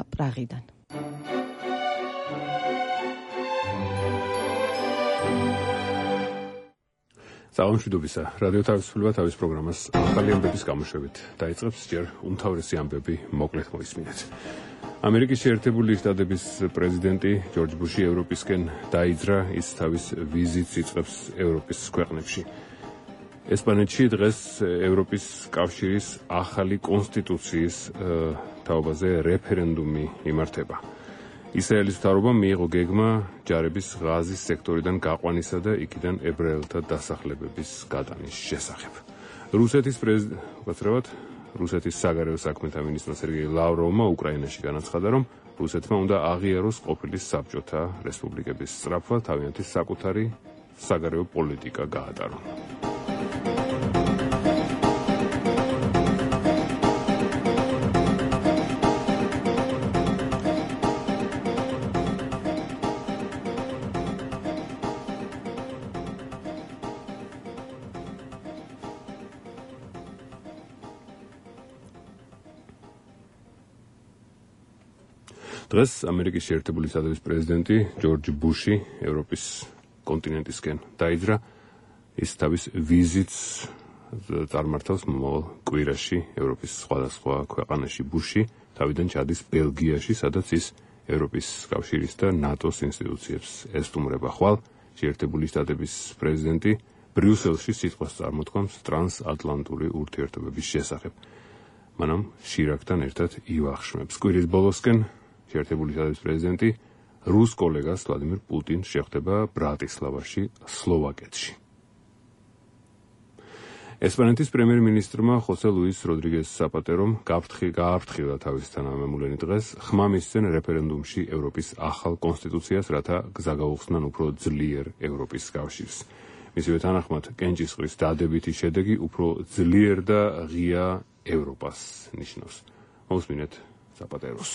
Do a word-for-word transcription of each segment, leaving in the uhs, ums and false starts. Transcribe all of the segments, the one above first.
პრაღიდან. Საუბრობისა რადიო თავისუფლება თავის პროგრამას ახალი ამბების გამოშვებით დაიწყებს ჯერ უმთავრესი ამბები მოკლედ მოისმინეთ. ამერიკის შეერთებული შტატების პრეზიდენტი ჯორჯ ბუში ევროპისკენ დაიძრა, ის თავის ვიზიტს იწყებს ევროპის ქვეყნებში. ესპანეთში დღეს ევროპის კავშირის ახალი კონსტიტუციის თაობაზე რეფერენდუმი იმართება. ისრაელის მთავრობამ მიიღო გეგმა ჯარების ღაზის სექტორიდან გაყვანისა და იქიდან ებრაელთა დასახლებების გადანის შესახებ. რუსეთის პრეზიდენტად რუსეთის საგარეო საქმეთა მინისტრმა სერგეი ლავროვმა უკრაინაში განაცხადა, რომ რუსეთმა უნდა აღიაროს ყოფილი საბჭოთა რესპუბლიკების სწრაფვა, თავიანთი საკუთარი საგარეო პოლიტიკა გაატარო. დღეს ამერიკის შეერთებული შტატების პრეზიდენტი ჯორჯ ბუში ევროპის კონტინენტისკენ დაიძრა, ის თავის ვიზიტს წარმართავს მომავალ კვირაში ევროპის სხვადასხვა ქვეყანაში. ბუში თავიდან ჩადის ბელგიაში, სადაც ის ევროპის კავშირის და ნატოს ინსტიტუციებს ესტუმრება. ხვალ შეერთებული შტატების პრეზიდენტი ბრიუსელში სიტყვას წარმოთქვამს ტრანსატლანტური ურთიერთობების შესახებ. მანამ შირაკთან ერთად ივახშმებს. კვირის ბოლოსკენ შეერთებული შტატების პრეზიდენტი რუს კოლეგას ვლადიმირ პუტინს შეხვდება ბრატისლავაში, სლოვაკეთში. ესპანეთის პრემიერ-მინისტრმა ხოსე ლუის როდრიგეს საპატერომ გააფრთხილა თავის თანამემულენი დღეს ხმა მისცენ რეფერენდუმში ევროპის ახალ კონსტიტუციას, რათა გზა გაუხსნან უფრო ძლიერ ევროპის კავშირს. მისივე თანახმად კენჭისყრის დადებითი შედეგი უფრო ძლიერ და ღია ევროპას ნიშნავს. მოусმინეთ საპატეროს.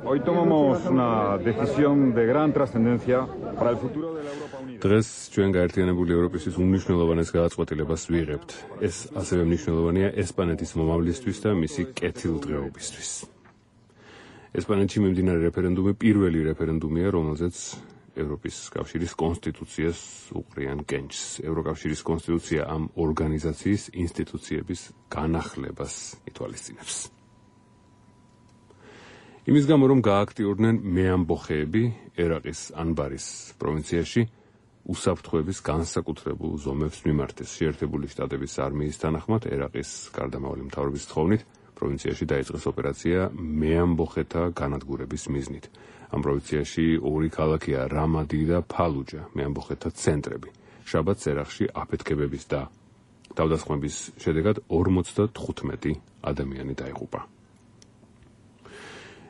Hoy tomamos una decisión de gran trascendencia para el futuro de la Europa Unida. დღეს ჩვენ გაერთიანებული ევროპისთვის უმნიშვნელოვანეს გადაწყვეტილებას ვიღებთ. ეს ასევე მნიშვნელოვანია ესპანეთის მომავლისთვის და მისი კეთილდღეობისთვის. ესპანეთში მიმდინარე რეფერენდუმი პირველი რეფერენდუმია, რომელზეც ევროპის კავშირის კონსტიტუციას უყრიან კენჭს. ევროკავშირის კონსტიტუცია ამ ორგანიზაციის ინსტიტუციების განახლებას ითვალისწინებს. იმის გამო, რომ გააქტიურდნენ მეამბოხეები ერაყის ანბარის პროვინციაში უსაფრთხოების განსაკუთრებულ ზომებს მიმართეს. შეერთებული შტატების არმიის თანახმად ერაყის გარდამავალი მთავრობის თხოვნით პროვინციაში დაიწყეს ოპერაცია მეამბოხეთა განადგურების მიზნით. ამ პროვინციაში ორი ქალაქია რამადი და ფალუჯა, მეამბოხეთა ცენტრები. შაბათს ერაყში აფეთქებების და თავდასხმების შედეგად ორმოცდათხუთმეტი ადამიანი დაიღუპა.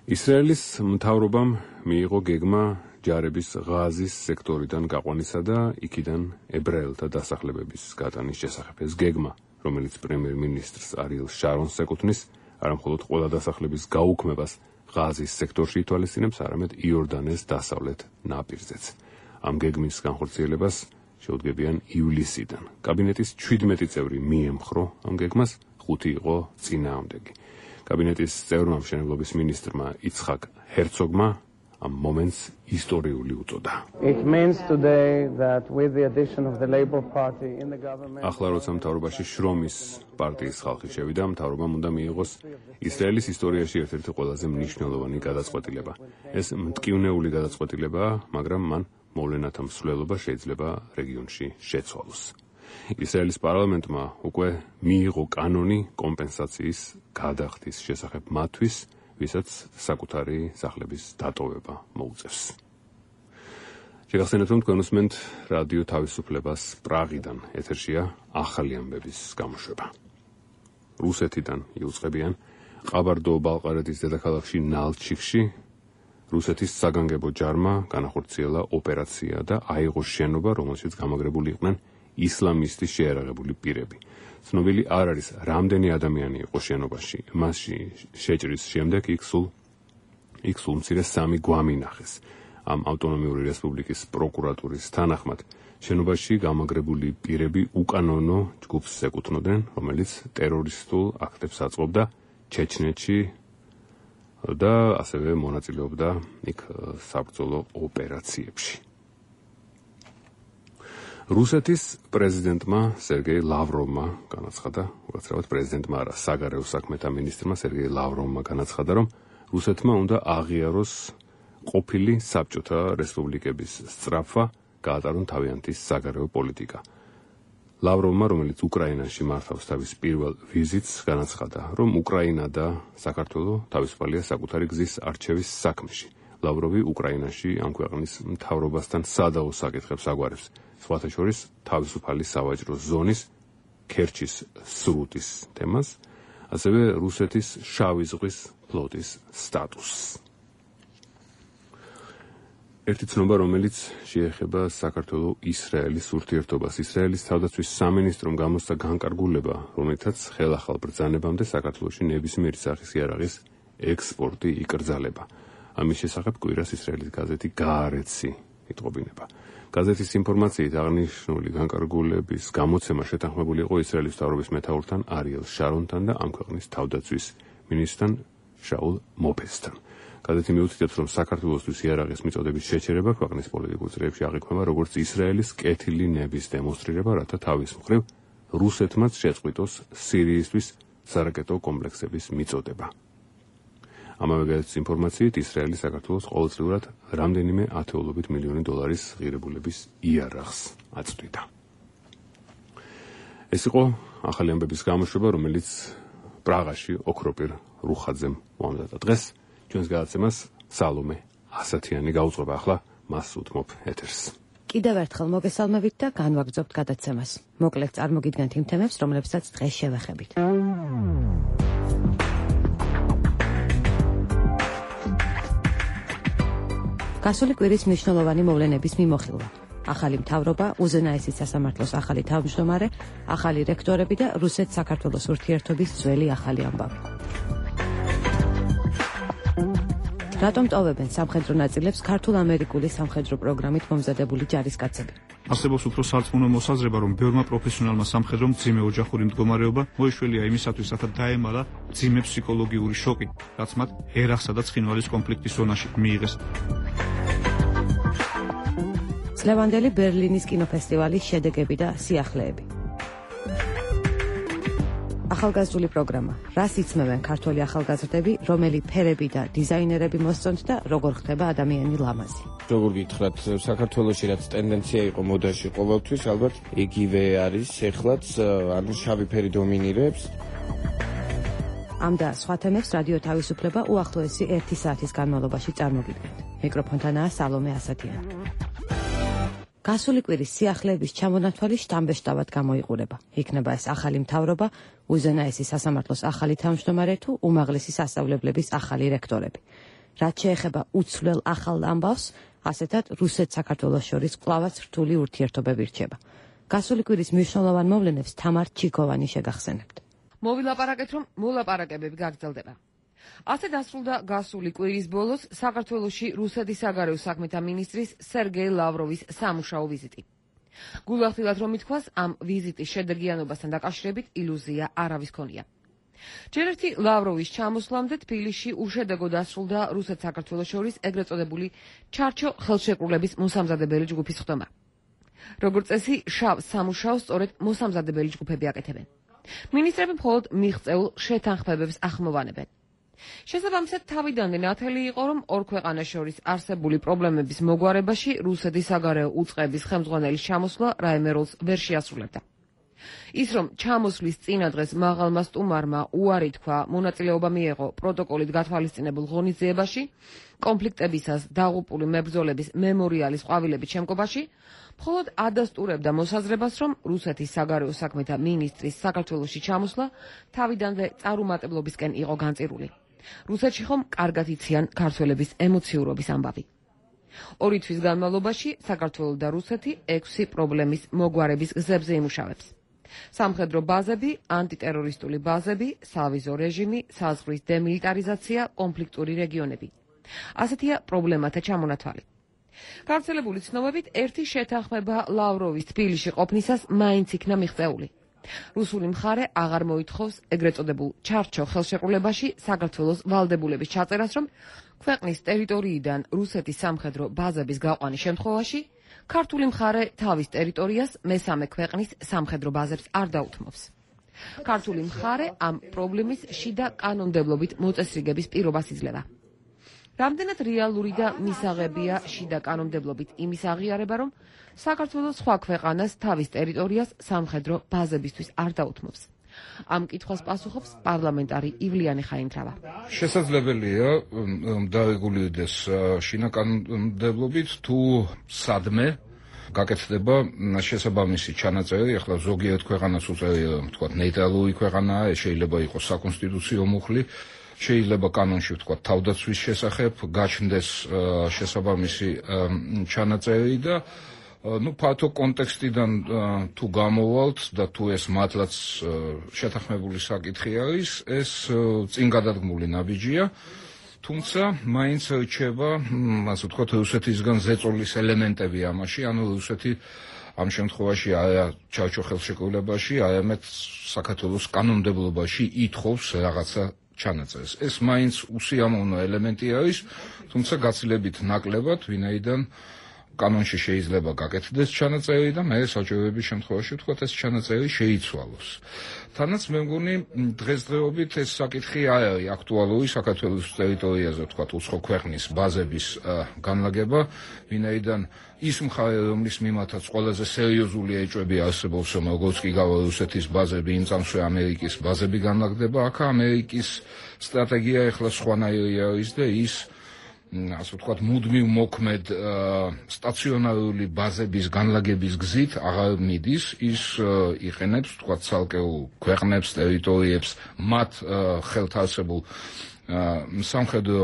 ისრაელის მთავრობამ მიიღო გეგმა ჯარების ღაზის სექტორიდან გაყვანისა და იქიდან ებრაელთა დასახლებების გადანის შესახებ. ეს გეგმა, რომელიც პრემიერ-მინისტრს არიელ შარონს ეკუთვნის, არამხოლოდ ყველა დასახლების გაუქმებას ღაზის სექტორში ითვალისწინებს, არამედ იორდანეს დასავლეთ ნაპირზეც. ამ გეგმის განხორციელებას შეუდგებიან ივლისიდან. კაბინეტის ჩვიდმეტი წევრი მიემხრო ამ გეგმას, ხუთი იყო წინააღმდეგი. კაბინეტის წევრმა მშენებლობის მინისტრმა იცხაკ ჰერცოგმა ამ მომენტს ისტორიული უწოდა. ახლა როცა მთავრობაში შრომის პარტიის ხალხი შევიდა, მთავრობამ უნდა მიიღოს ისრაელის ისტორიაში ერთ-ერთი ყველაზე მნიშვნელოვანი გადაწყვეტილება. ეს მტკივნეული გადაწყვეტილებაა, მაგრამ მან მოვლენათა მსვლელობა შეიძლება რეგიონში შეცვალოს. ისრაელის პარლამენტმა უკვე მიიღო კანონი კომპენსაციის გადახდის შესახებ მათთვის, ვისაც საკუთარი სახლების დატოვება მოუწევს. შეგახსენებთ, რომ თქვენ უსმენთ რადიო თავისუფლებას პრაღიდან. ეთერშია ახალი ამბების გამოშვება. რუსეთიდან იუწყებიან ყაბარდო-ბალყარეთის დედაქალაქში ნალჩიკში რუსეთის საგანგებო ჯარმა განახორციელა ოპერაცია და აიღო შენობა, რომელშიც გამაგრებული იყვნენ ისლამისტის შეერაღებული პირები. ცნობილი არ არის, რამდენი ადამიანი იყო შენობაში. მასში შეჭრის შემდეგ იქ სულ იქ სულ მცირე სამი გვამი ნახეს. ამ ავტონომიური რესპუბლიკის პროკურატურის თანახმად, შენობაში გამაგრებული პირები უკანონო ჯგუფს ეკუთვნოდნენ, რომელიც ტერორისტულ აქტებს აწყობდა ჩეჩნეთში და ასევე მონაწილეობდა იქ საბრძოლო ოპერაციებში. რუსეთის პრეზიდენტმა სერგეი ლავროვმა განაცხადა, უბრალოდ პრეზიდენტმა არა, საგარეო საქმეთა მინისტრმა სერგეი ლავროვმა განაცხადა, რომ რუსეთმა უნდა აღიაროს ყოფილი საბჭოთა რესპუბლიკების სწრაფვა, გაატარონ თავიანთი საგარეო პოლიტიკა. ლავროვმა, რომელიც უკრაინაში მართავს თავის პირველ ვიზიტს, განაცხადა, რომ უკრაინა და საქართველო თავისუფალია საკუთარი გზის არჩევის საქმეში. ლავროვი უკრაინაში ამ ქვეყნის მთავრობასთან სადავო საკითხებს აგვარებს, სხვათა შორის თავისუფალი სავაჭრო ზონის, ქერჩის სრუტის თემას, ასევე რუსეთის შავი ზღვის ფლოტის სტატუსს. ერთი ცნობა, რომელიც შეეხება საქართველო-ისრაელის ურთიერთობას. ისრაელის თავდაცვის სამინისტრომ გამოსცა განკარგულება, რომელთაც ხელახალ ბრძანებამდე საქართველოში ნებისმიერი სახის იარაღის ექსპორტი იკრძალება. ამის შესახებ კვირას ისრაელის გაზეთი გაარეცი იტყობინება. გაზეთის ინფორმაციით აღნიშნული განკარგულების გამოცემა შეთანხმებული იყო ისრაელის მთავრობის მეთაურთან არიელ შარონთან და ამ ქვეყნის თავდაცვის მინისტრთან შაულ მოფეზთან. გაზეთი მიუთითებს, რომ საქართველოსთვის იარაღის მიწოდების შეჩერება ქვეყნის პოლიტიკურ წრეებში აღიქვება როგორც ისრაელის კეთილი ნების დემონსტრირება, რათა თავის მხრივ რუსეთმაც შეწყვიტოს სირიისთვის სარაკეტო კომპლექსების მიწოდება. ამავე გაზეთის ინფორმაციით ისრაელი საქართველოს ყოველწლიურად რამდენიმე ათეულობით მილიონი დოლარის ღირებულების იარაღს აწვდიდა. ეს იყო ახალი ამბების გამოშვება, რომელიც პრაღაში ოქროპირ რუხაძემ მომზადა. დღეს ჩვენს გადაცემას სალომე ასათიანი გაუძღვება. ახლა მას უთმობ ეთერს. კიდევ ერთხელ მოგესალმებით და განვაგრძობთ გადაცემას. მოკლედ წარმოგიდგენთ იმ თემებს, რომლებსაც დღეს შევეხებით. გასული კვირის მნიშვნელოვანი მოვლენების მიმოხილვა. ახალი მთავრობა, უზენაესის სასამართლოს ახალი თავმჯდომარე, ახალი რექტორები და რუსეთ-საქართველოს ურთიერთობის ძველი ახალი ამბავი. რატომ ტოვებენ სამხედრო ნაწილებს ქართულ-ამერიკული სამხედრო პროგრამით მომზადებული ჯარისკაცები? არსებობს უფრო სარწმუნო მოსაზრება, რომ ბევრმა პროფესიონალმა სამხედრომ მძიმე ოჯახური მდგომარეობა მოიშველია იმისათვის, რათა დაემალა მძიმე ფსიქოლოგიური შოკი, რაც მათ ერახსა და ცხინვალის კონფლიქტის ზონაში მიიღეს. წლევანდელი ბერლინის კინოფესტივალის შედეგები და სიახლეები. ახალგაზრდული პროგრამა. რას იცმევენ ქართველი ახალგაზრდები, რომელი ფერები და დიზაინერები მოსწონთ და როგორ ხდება ადამიანი ლამაზი? როგორ გითხრათ, საქართველოში რაც ტენდენცია იყო მოდაში ყოველთვის, ალბათ იგივე არის ეხლაც, ანუ შავი ფერი დომინირებს. ამ და სხვა თემებს რადიო თავისუფლება უახლოესი ერთი საათის განმავლობაში წარმოგიდგენთ. მიკროფონთანაა სალომე ასათიანი. გასული კვირის სიახლეების ჩამონათვალი შტამბეშტავად გამოიყურება. იქნება ეს ახალი მთავრობა, უზენაესის სასამართლოს ახალი თავმჯდომარე თუ უმაღლესი სასწავლებლების ახალი რექტორები. რაც შეეხება უცვლელ ახალ ამბავს, ასეთად რუსეთ-საქართველოს შორის კვლავაც რთული ურთიერთობები რჩება. გასული კვირის მნიშვნელოვან მოვლენებს თამარ ჩიქოვანი შეგახსენებთ. მოვილაპარაკეთ, რომ მოლაპარაკებები გაგრძელდება. ასე დასრულდა გასული კვირის ბოლოს საქართველოში რუსეთის საგარეო საქმეთა მინისტრის სერგეი ლავროვის სამუშაო ვიზიტი. გულახდილად რომ ითქვას, ამ ვიზიტის შედეგიანობასთან დაკავშირებით ილუზია არავის ქონია. ჯერ ერთი ლავროვის ჩამოსვლამდე თბილისში უშედეგო დასრულდა რუსეთ-საქართველოს შორის ეგრეთ წოდებული ჩარჩო ხელშეკრულების მოსამზადებელი ჯგუფის ხდომა. როგორც წესი, შავ სამუშაოს სწორედ მოსამზადებელი ჯგუფები აკეთებენ. მინისტრები მხოლოდ მიღწეულ შეთანხმებებს ახმოვანებენ. შესაბამისად, თავიდანვე ნათელი იყო, რომ ორ ქვეყანას შორის არსებული პრობლემების მოგვარებაში რუსეთის საგარეო უწყების ხელმძღვანელის ჩამოსვლა რაიმე როლს ვერ შეასრულებდა. ის, რომ ჩამოსვლის წინა დღეს მაღალმა სტუმარმა უარი თქვა მონაწილეობა მიეღო პროტოკოლით გათვალისწინებულ ღონისძიებაში, კონფლიქტებისას დაღუპული მებრძოლების მემორიალის ყვავილების შემკობაში, მხოლოდ ადასტურებდა მოსაზრებას, რომ რუსეთის საგარეო საქმეთა მინისტრის საქართველოში ჩამოსვლა თავიდანვე წარუმატებლობისკენ იყო განწირული. რუსეთში ხომ კარგად იციან ქართველების ემოციურობის ამბავი. ორი თვის განმავლობაში საქართველო და რუსეთი ექვსი პრობლემის მოგვარების გზებზე იმუშავებს. სამხედრო ბაზები, ანტიტერორისტული ბაზები, სავიზო რეჟიმი, საზღვრის დემილიტარიზაცია, კონფლიქტური რეგიონები. ასეთია პრობლემათა ჩამონათვალი. გავრცელებული ცნობებით ერთი შეთანხმება ლავროვის თბილისში ყოფნისას მაინც იქნა მიღწეული. რუსული მხარე აღარ მოითხოვს ეგრეთ წოდებულ ჩარჩო ხელშეკრულებაში საქართველოს ვალდებულების ჩაწერას, რომ ქვეყნის ტერიტორიიდან რუსეთის სამხედრო ბაზების გაყვანის შემთხვევაში ქართული მხარე თავის ტერიტორიას მესამე ქვეყნის სამხედრო ბაზებს არ დაუთმობს. ქართული მხარე ამ პრობლემის შიდა კანონმდებლობით მოწესრიგების პირობას იძლევა. რამდენად რეალური და მისაღებია შიდა კანონმდებლობით იმის აღიარება, რომ საქართველოს სხვა ქვეყანას თავის ტერიტორიას სამხედრო ბაზებისთვის არ დაუთმობს. ამ კითხვას პასუხობს პარლამენტარი ივლიანი ხაინდრავა. შესაძლებელია დარეგულირდეს შიდა კანონმდებლობით თუ სადმე გაკეთდება შესაბამისი ჩანაწერი. ახლა ზოგიერთ ქვეყანას უწევია, თქვა ნეიტრალური ქვეყანაა, შეიძლება იყოს საკონსტიტუციო მუხლი, შეიძლება კანონში ვთქვა თავდაცვის შესახებ გაჩნდეს შესაბამისი ჩანაწერი და ну ფართო კონტექსტიდან თუ გამოვალთ და თუ ეს მართლაც შეთანხმებული საკითხი არის, ეს წინ გადადგმული ნაბიჯია, თუმცა მაინც რჩება, ასე ვთქვათ, რუსეთისგან ზეწოლის ელემენტები ამაში, ანუ რუსეთი ამ შემთხვევაში არა ჩარჩო ხელშეკრულებაში, არამედ საქართველოს კანონმდებლობაში ითხოვს რაღაცა ჩანაწერს. ეს მაინც უსიამოვნო ელემენტი არის, თუმცა გაცილებით ნაკლებად, ვინაიდან კანონში შეიძლება გაკეთდეს ჩანაწერი და მე საჭიროების შემთხვევაში ვთქვათ ეს ჩანაწერი შეიცვალოს. თანაც მე მგონი დღესდღეობით ეს საკითხი არ არის აქტუალური საქართველოს ტერიტორიაზე ვთქვათ უცხო ქვეყნის ბაზების განლაგება, ვინაიდან ის მხარე რომლის მიმართაც ყველაზე სერიოზული ეჭვები არსებობს, რომ როგორც კი გავა რუსეთის ბაზები, იმ წამსვე ამერიკის ბაზები განლაგდება, აქ ამერიკის სტრატეგია ახლა სხვანაირი არის და ის ასე ვთქვათ, მუდმივ მოქმედ სტაციონარული ბაზების განლაგების გზით აღარ მიდის, ის იყენებს, ვთქვათ, ცალკეულ ქვეყნებს, ტერიტორიებს, მათ ხელთ არსებულ სამხედრო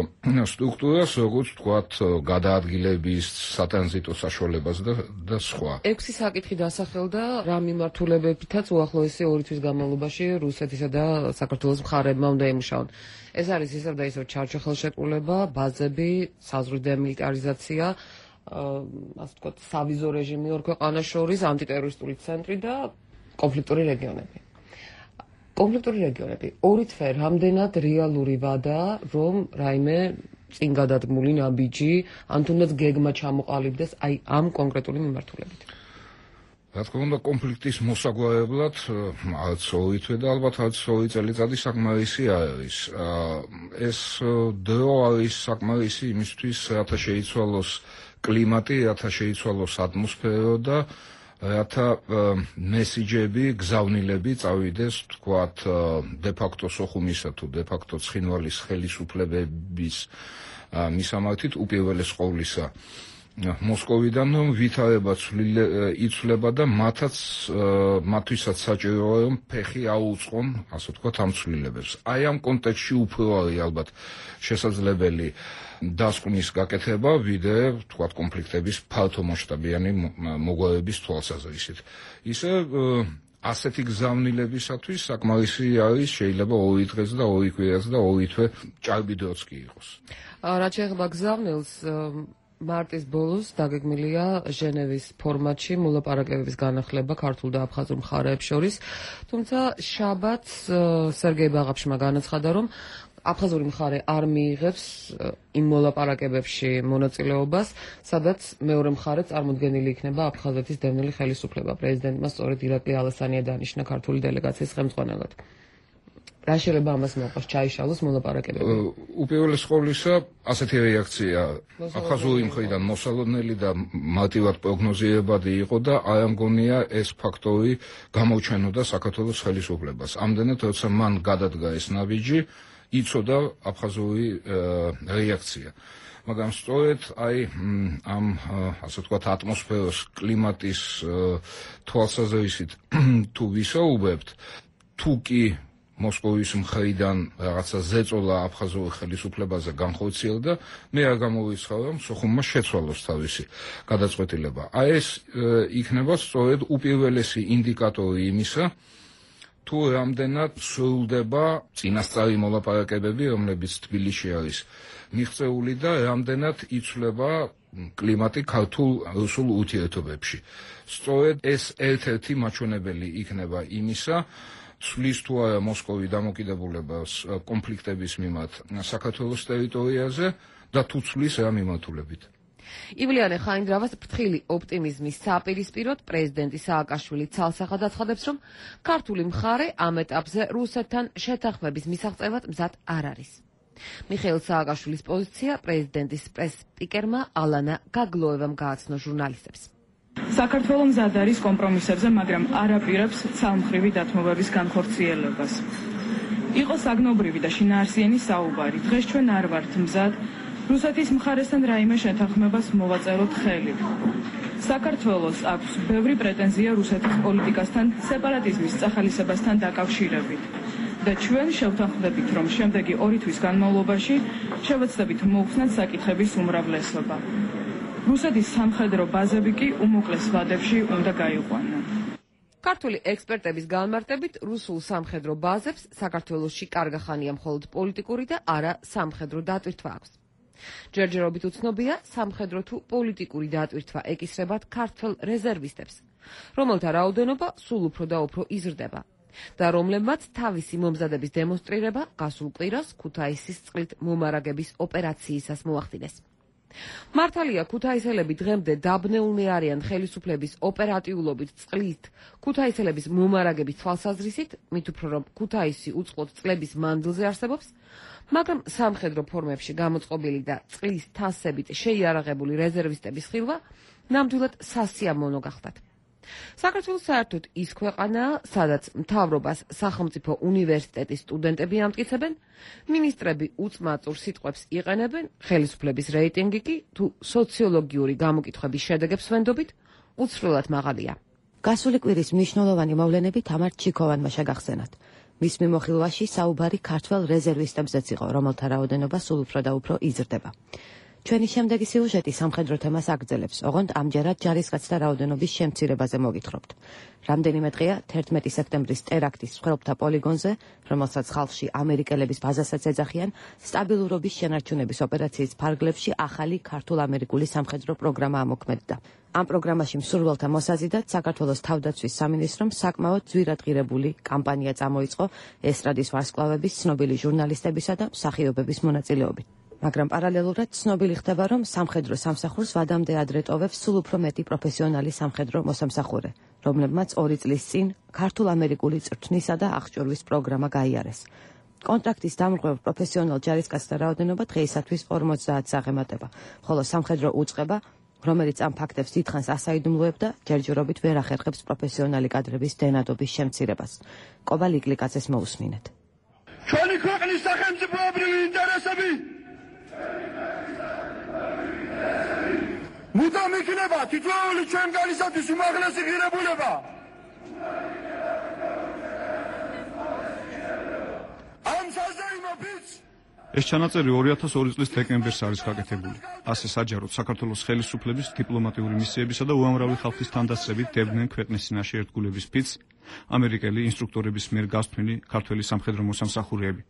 სტრუქტურას, როგორც ვთქვათ, გადაადგილების, სატრანზიტო საშუალებას და სხვა. ექვსი საკითხი დასახელდა, რა მიმართულებებითაც უახლოესი ორი თვის განმავლობაში რუსეთისა და საქართველოს მხარეებმა უნდა ემუშაონ. ეს არის ისევ და ისევ ჩარჩო ხელშეკრულება, ბაზები, საზღვრის დემილიტარიზაცია, ასე ვთქვათ, სავიზო რეჟიმი ორ ქვეყანას შორის, ანტიტერორისტული ცენტრი და კონფლიქტური რეგიონები. კონფლიქტური რეგიონები ორი თვე რამდენად რეალური ვადაა, რომ რაიმე წინ გადადგმული ნაბიჯი, ან თუნდაც გეგმა ჩამოყალიბდეს აი ამ კონკრეტული მიმართულებით. რა თქმა უნდა, კონფლიქტის მოსაგვარებლად არც ორი თვე და ალბათ არც ორი წელიწადი საკმარისი არ არის. ეს დრო არის საკმარისი იმისთვის, რათა შეიცვალოს კლიმატი, რათა შეიცვალოს ატმოსფერო და რათა მესიჯები, გზავნილები წავიდეს, ვთქვათ, დე-ფაქტო სოხუმისა თუ დე-ფაქტო ცხინვალის ხელისუფლებების მისამართით უპირველეს ყოვლისა მოსკოვიდან, რომ ვითარება იცვლება და მათაც მათთვისაც საჭიროა, რომ ფეხი აუწყონ, ასე ვთქვათ, ამ ცვლილებებს. აი ამ კონტექსტში უფრო არის ალბათ შესაძლებელი დასკვნის გაკეთება, ვიდრე ვთქვათ კონფლიქტების ფართომასშტაბიანი მოგვარების თვალსაზრისით. ისე ასეთი გზავნილებისათვის საკმარისი არის შეიძლება ორი დღეს და ორი კვირაც და ორი თვე ჭარბი დროც კი იყოს. რაც შეეხება გზავნილს, მარტის ბოლოს დაგეგმილია ჟენევის ფორმატში მოლაპარაკებების განახლება ქართულ და აფხაზურ მხარეებს შორის, თუმცა შაბათს სერგეი ბაღაფშმა განაცხადა, რომ აფხაზური მხარე არ მიიღებს იმ მოლაპარაკებებში მონაწილეობას, სადაც მეორე მხარე წარმოდგენილი იქნება აფხაზეთის დევნილი ხელისუფლება. პრეზიდენტმა სწორედ ირაკლი ალასანია დანიშნა ქართული დელეგაციის ხელმძღვანელად. რა შეიძლება ამას მოყავს ჩაიშალოს მოლაპარაკებები? უპირველეს ყოვლისა, ასეთი რეაქცია აფხაზური მხრიდან მოსალოდნელი და მარტივად პროგნოზირებადი იყო და არ მგონია ეს ფაქტორი გამოჩენოდა საქართველოს ხელისუფლებას. ამდენად, როცა მან გადადგა ეს ნაბიჯი, იცოდა აფხაზური რეაქცია. მაგრამ სწორედ აი ამ ასე ვთქვათ ატმოსფეროს კლიმატის თვალსაზრისით თუ ვისაუბრებთ, თუ კი მოსკოვის მხრიდან რაღაცა ზეწოლა აფხაზურ ხელისუფლებაზე განხორციელდა, მე არ გამოვიცხადა, რომ სოხუმმა შეცვალოს თავისი გადაწყვეტილება. აი ეს იქნება სწორედ უპირველესი ინდიკატორი იმისა, თუ რამდენად სრულდება წინასწარი მოლაპარაკებები, რომლებიც თბილისში არის მიღწეული და რამდენად იცვლება კლიმატი ქართულ რუსულ ურთიერთობებში. სწორედ ეს ერთ-ერთი მაჩვენებელი იქნება იმისა, სulis თუ არა მოსკოვის დამოკიდებულებას კონფლიქტების მიმართ საქართველოს ტერიტორიაზე და თუ ცulis რა მიმართულებით. ივლიანე ხაინდრავას ფრთხილი ოპტიმიზმის საპირისპიროდ პრეზიდენტი სააკაშვილი ცალსახად აცხადებს, რომ ქართული მხარე ამ ეტაპზე რუსეთთან შეთანხმების მისაღწევად მზად არ არის. მიხეილ სააკაშვილის პოზიცია პრეზიდენტის პრეს-სპიკერმა ალანა გაგლოევამ გააცნო ჟურნალისტებს. საქართველო მზად არის კომპრომისებზე, მაგრამ არ აპირებს ცალმხრივი დათმობების განხორციელებას. იყო საგნობრივი და შინაარსიანი საუბარი. დღეს ჩვენ არ ვართ მზად რუსეთის მხარესთან რაიმე შეთანხმებას მოვაწეროთ ხელი. საქართველოს აქვს ბევრი პრეტენზია რუსეთის პოლიტიკასთან, სეპარატიზმის წახალისებასთან დაკავშირებით. და ჩვენ შევთანხმდებით, რომ შემდეგი ორი თვის განმავლობაში შევეცდებით მოუხსნათ საკითხების უმრავლესობა. რუსეთის სამხედრო ბაზები კი უმოკლეს ვადებში უნდა გაიყვანონ. ქართული ექსპერტების განმარტებით, რუსულ სამხედრო ბაზებს საქართველოში კარგა ხანია მხოლოდ პოლიტიკური და არა სამხედრო დატვირთვა აქვს. ჯერჯერობით უცნობია, სამხედრო თუ პოლიტიკური დატვირთვა ეკისრებათ ქართველ რეზერვისტებს, რომელთა რაოდენობა სულ უფრო და უფრო იზრდება და რომლებმაც თავისი მომზადების დემონსტრირება გასულ კვირას ქუთაისის წყლით მომარაგების ოპერაციისას მოახდინეს. მართალია, ქუთაისელები დღემდე დაბნეულნი არიან ხელისუფლების ოპერატიულობით წყლით ქუთაისელების მომარაგების თვალსაზრისით, მით უფრო რომ ქუთაისი უწყლოდ წლების მანძილზე არსებობს, მაგრამ სამხედრო ფორმებში გამოწყობილი და წყლის თასებით შეიარაღებული რეზერვისტების ხილვა ნამდვილად სასიამოვნო გახდათ. საქართველოს საერთოდ ის ქვეყანაა, სადაც მთავრობას სახელმწიფო უნივერსიტეტის სტუდენტები ამტკიცებენ, მინისტრები უწმაწურ სიტყვებს იყენებენ, ხელისუფლების რეიტინგი კი თუ სოციოლოგიური გამოკითხვების შედეგებს ვენდობით, უცვლელად მაღალია. გასული კვირის მნიშვნელოვანი მოვლენები თამარ ჩიქოვანმა შეგახსენათ. მის მიმოხილვაში საუბარი ქართველ რეზერვისტებზეც იყო, რომელთა რაოდენობა სულ უფრო და უფრო იზრდება. ჩვენი შემდეგი სიუჟეტი სამხედრო თემას აგრძელებს, ოღონდ ამჯერად ჯარისკაცთა რაოდენობის შემცირებაზე მოგითხრობთ. რამდენიმე დღეა თერთმეტი სექტემბრის ტერაქტის მსხვერპლთა პოლიგონზე, რომელსაც ხალხში ამერიკელების ბაზასაც ეძახიან, სტაბილურობის შენარჩუნების ოპერაციის ფარგლებში ახალი ქართულ-ამერიკული სამხედრო პროგრამა ამოქმედდა. ამ პროგრამაში მსურველთა მოსაზიდად საქართველოს თავდაცვის სამინისტრომ საკმაოდ ძვირადღირებული კამპანია წამოიწყო ესტრადის ვარსკვლავების, ცნობილი ჟურნალისტებისა და მსახიობების მონაწილეობით. მაგრამ პარალელურად ცნობილი ხდება, რომ სამხედრო სამსახურს ვადამდე ადრე ტოვებს სულ უფრო მეტი პროფესიონალი სამხედრო მოსამსახურე, რომლებმაც ორი წლის წინ ქართულ-ამერიკული წრთნისა და აღჭურვის პროგრამა გაიარეს. კონტრაქტის დამრღვევ პროფესიონალ ჯარისკაცთა რაოდენობა დღეისათვის ორმოცდაათს აღემატება, ხოლო სამხედრო უწყება, რომელიც ამ ფაქტებს დიდხანს ასაიდუმლოებდა, ჯერჯერობით ვერ ახერხებს პროფესიონალი კადრების დენადობის შემცირებას. კობა ლიკლიკაძეს მოусმინეთ. ჩვენი ქვეყნის სახელმწიფოებრივი ინტერესები მუდამ იქნება თითოეული ჩვენგანისათვის უმაღლესი ღირებულება. ამ საზეიმო ბიჭ ეს ჩანაწერი ორი ათას ორი წლის დეკემბერს არის გაკეთებული. ასე საჯაროდ საქართველოს ხელისუფლების დიპლომატიური მისიებისა და უამრავი ხალხის თანდასწრებით დებდნენ ქვეყნის წინაშე ერთგულების ფიცს ამერიკელი ინსტრუქტორების მიერ გასთვლილი ქართველი სამხედრო მოსამსახურეები.